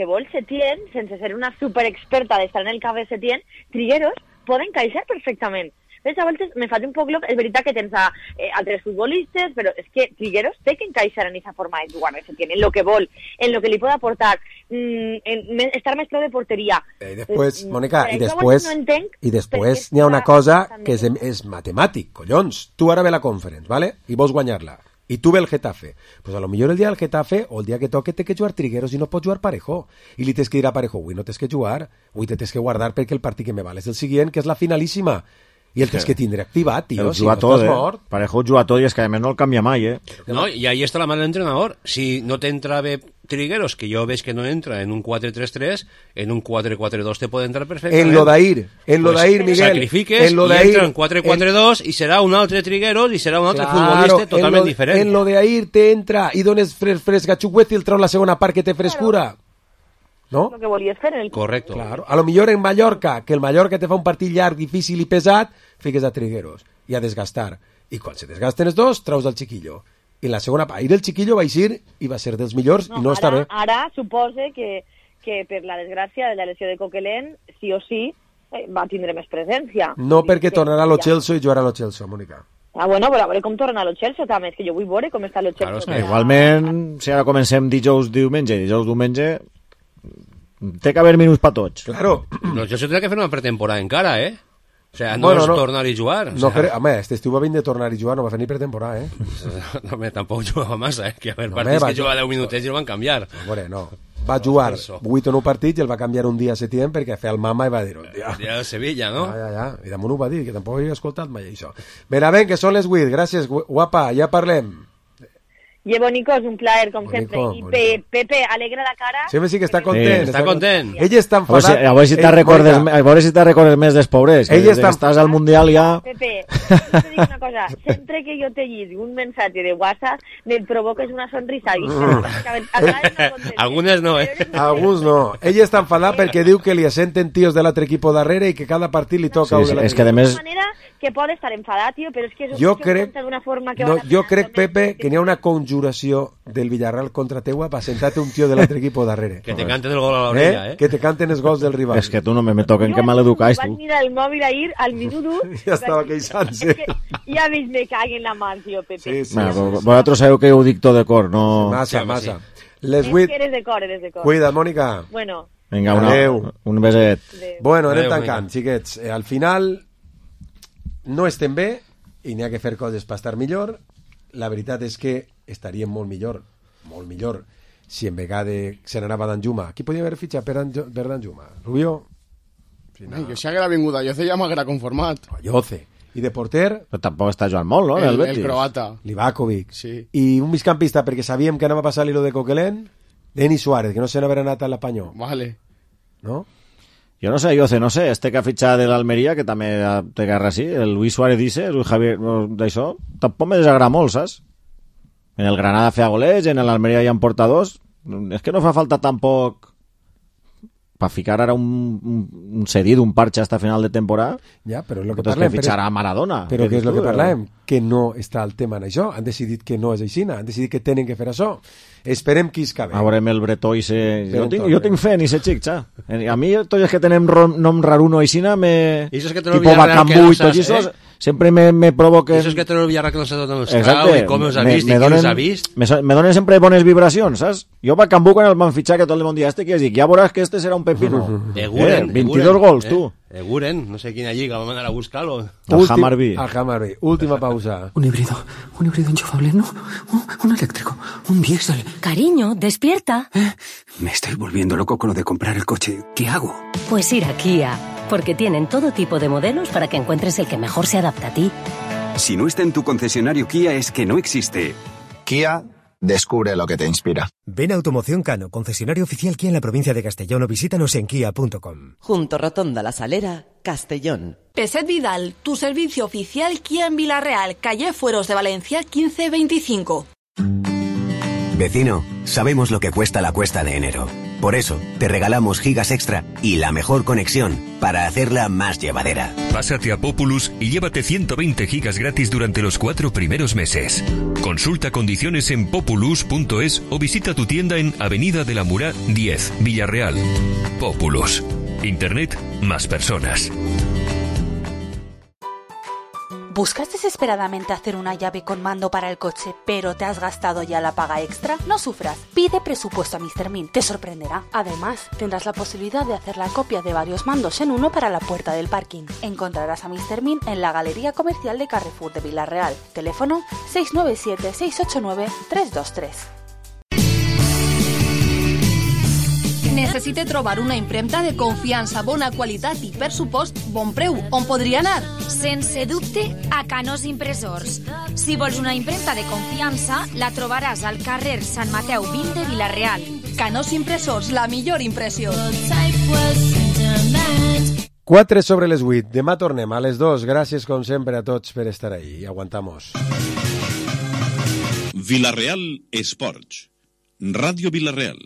vol Setién, sense ser una superexperta d'estar en el cap de Setién, Trigueros poden encaixar perfectament. A voltes me faig un poc loc, és veritat que tens altres futbolistes, però és que Trigueros té que encaixar en aquesta forma de jugar, en lo que vol, en lo que li pot aportar, estar més prou de porteria. I després, Mònica, i després n'hi ha una cosa que és matemàtic, collons. Tu ara ve la Conference, ¿vale? I vols guanyar-la. I tu ve el Getafe. Pues a lo millor el dia del Getafe o el dia que toque té que jugar Trigueros i no pots jugar Parejo. I li tens que dir a Parejo, avui no tens que jugar, avui te tens que guardar perquè el partit que me val és el següent, que és la finalíssima. I el tens que tindre activat, tio. El juga tot, Parejo juga tot i és que a més no el canvia mai, No, y ahí está la mano del entrenador. Si no te entra Trigueros, que yo ves que no entra en un 4-3-3, en un 4-4-2 te puede entrar perfectamente. En lo d'ahir, Miguel. Sacrifiques y entra en 4-4-2 y serà un altre Trigueros y serà un altre futbolista totalment diferent. En lo d'ahir te entra i dones frescachuguet i el treu la segona part que té frescura. No? Lo que volies fer en el... Correcto. Claro. A lo millor en Mallorca, que el Mallorca te fa un partit llarg, difícil i pesat, fiques a Trigueros i a desgastar. I quan se desgasten els dos, traus el chiquillo. I la segona part, el chiquillo va eixir i va ser dels millors i no està bé. Ara supose que per la desgràcia de la lesió de Coquelin, sí o sí, va tindre més presència. No, perquè tornarà a lo Chelsea i jugarà a lo Chelsea, Mònica. Bueno, però a veure com torna a lo Chelsea també, és que jo vull veure com està lo Chelsea. Claro, igualment, si ara comencem dijous, diumenge, té que haver minuts per tots. Claro. No, jo sé que fer una pretemporada encara, O sea, no és tornar a jugar. Home, este estiu va venir de tornar a jugar, no va fer ni pretemporada, No, tampoc jugava massa, que a veure, partits que jugava 10 minutets i el van canviar. No. Va jugar 8 o 9 partits i el va canviar un dia a Setién perquè feia el mama i va dir-ho. El dia de Sevilla, no? Ja. I damunt ho va dir, que tampoc havia escoltat mai això. Ben, que són les 8. Gràcies, guapa, ja parlem. Llevo, Nico, és un plaer, com sempre. I Pepe, alegra la cara. Sí que està content. Està content. Ell està enfadat. A veure si te recordes més dels pobres. Estàs al Mundial ja... Pepe, te dic una cosa. Sempre que jo te llisc un mensatge de WhatsApp, me'n provoques una sonrisa. Algunes no, Alguns no. Ell està enfadat perquè diu que li assenten tios de l'altre equip darrere i que cada partit li toca un de l'altre. És que a més... que pot estar enfadat, tio, però és que jo crec, Pepe, que n'hi ha una conjuració del Villarreal contra teua per sentar-te un tio de l'altre equip darrere. Que te canten el gol a l'orella, Que te canten els gols del rival. És que tu no me toquen, que maleducais, tu. Vaig mirar el mòbil ahir, al minut 1... Ja estava queixant-se. Ja veig, me caguen la mà, tio, Pepe. Vosaltres sabeu que ho dic tot de cor, no... Massa. Les 8... Eres de cor. Cuida't, Mònica. Bueno. Vinga, un beset. Bueno, anem tancant, xiquets. Al final... no estem bé i n'hi ha que fer coses per estar millor. La veritat és que estaríem molt millor, si en vegada se n'anava Danjuma. Qui podia haver fitxat per Danjuma? Rubio? Jo si haguera vingut a Yoce ja m'haguera conformat. Yoce. I de porter? Però tampoc està jugant molt, no? El croata. Livakovic. Sí. I un migcampista, perquè sabíem que anava a passar l'hilo de Coquelin, Denis Suárez, que no se n'haver anat a l'apanyó. Vale. No? Jo no sé, este que ha fitxat de l'Almeria, que també té guerra així, el Luis Suárez dice, el Javier, d'això, tampoc me desagrada molt, saps? En el Granada feia golets, en l'Almeria hi ha portadors, és que no fa falta tampoc per ficar ara un cedit, un parche hasta final de temporada. Ja, però és el que parlem. Que fitxarà Maradona. Però què és el que parlem? Que no està el tema en això. Han decidit que no és així, han decidit que tenen que fer això. Esperem qui es cabe. A veurem el bretó i se... Jo tinc fe en ese xic, xa. A mi, tots els que tenem nom raruno i xina, tipo Bacambú i tots això, sempre me provoquen... Eso es que te el Villarreal que no s'ha donat el esclau i com els ha vist i qui els ha vist. Me donen sempre bones vibracions, saps? Jo Bacambú, quan el van fitxar, que tot el món dia que dic, ja veuràs que este serà un pepino. 22 gols, tu. Eguren, no sé quina lliga, vam anar a buscar-lo. Al Hammarby. Última pausa. Un híbrido enchufable, no, un eléctrico, un diésel. Cariño, despierta. Me estoy volviendo loco con lo de comprar el coche. ¿Qué hago? Pues ir a Kia, porque tienen todo tipo de modelos para que encuentres el que mejor se adapta a ti. Si no está en tu concesionario Kia, es que no existe. Kia, descubre lo que te inspira. Ven a Automoción Cano, concesionario oficial Kia en la provincia de Castellón, o visítanos en kia.com. Junto Rotonda La Salera, Castellón. Peset Vidal, tu servicio oficial Kia en Villarreal, calle Fueros de Valencia 1525. Vecino, sabemos lo que cuesta la cuesta de enero. Por eso, te regalamos gigas extra y la mejor conexión para hacerla más llevadera. Pásate a Populus y llévate 120 gigas gratis durante los 4 primeros meses. Consulta condiciones en populus.es o visita tu tienda en Avenida de la Murá 10, Villarreal. Populus. Internet más personas. ¿Buscas desesperadamente hacer una llave con mando para el coche, pero te has gastado ya la paga extra? No sufras, pide presupuesto a Mr. Min, te sorprenderá. Además, tendrás la posibilidad de hacer la copia de varios mandos en uno para la puerta del parking. Encontrarás a Mr. Min en la Galería Comercial de Carrefour de Villarreal. Teléfono 697-689-323. Necessite trobar una impremta de confiança, bona qualitat i, per supost, bon preu. On podria anar? Sense dubte, a Canós Impressors. Si vols una impremta de confiança, la trobaràs al carrer Sant Mateu 20 de Vila-real. Canós Impressors, la millor impressió. 4 sobre les 8. Demà tornem a les 2. Gràcies, com sempre, a tots per estar ahí. I aguantamos. Vila-real Esports. Ràdio Vila-real.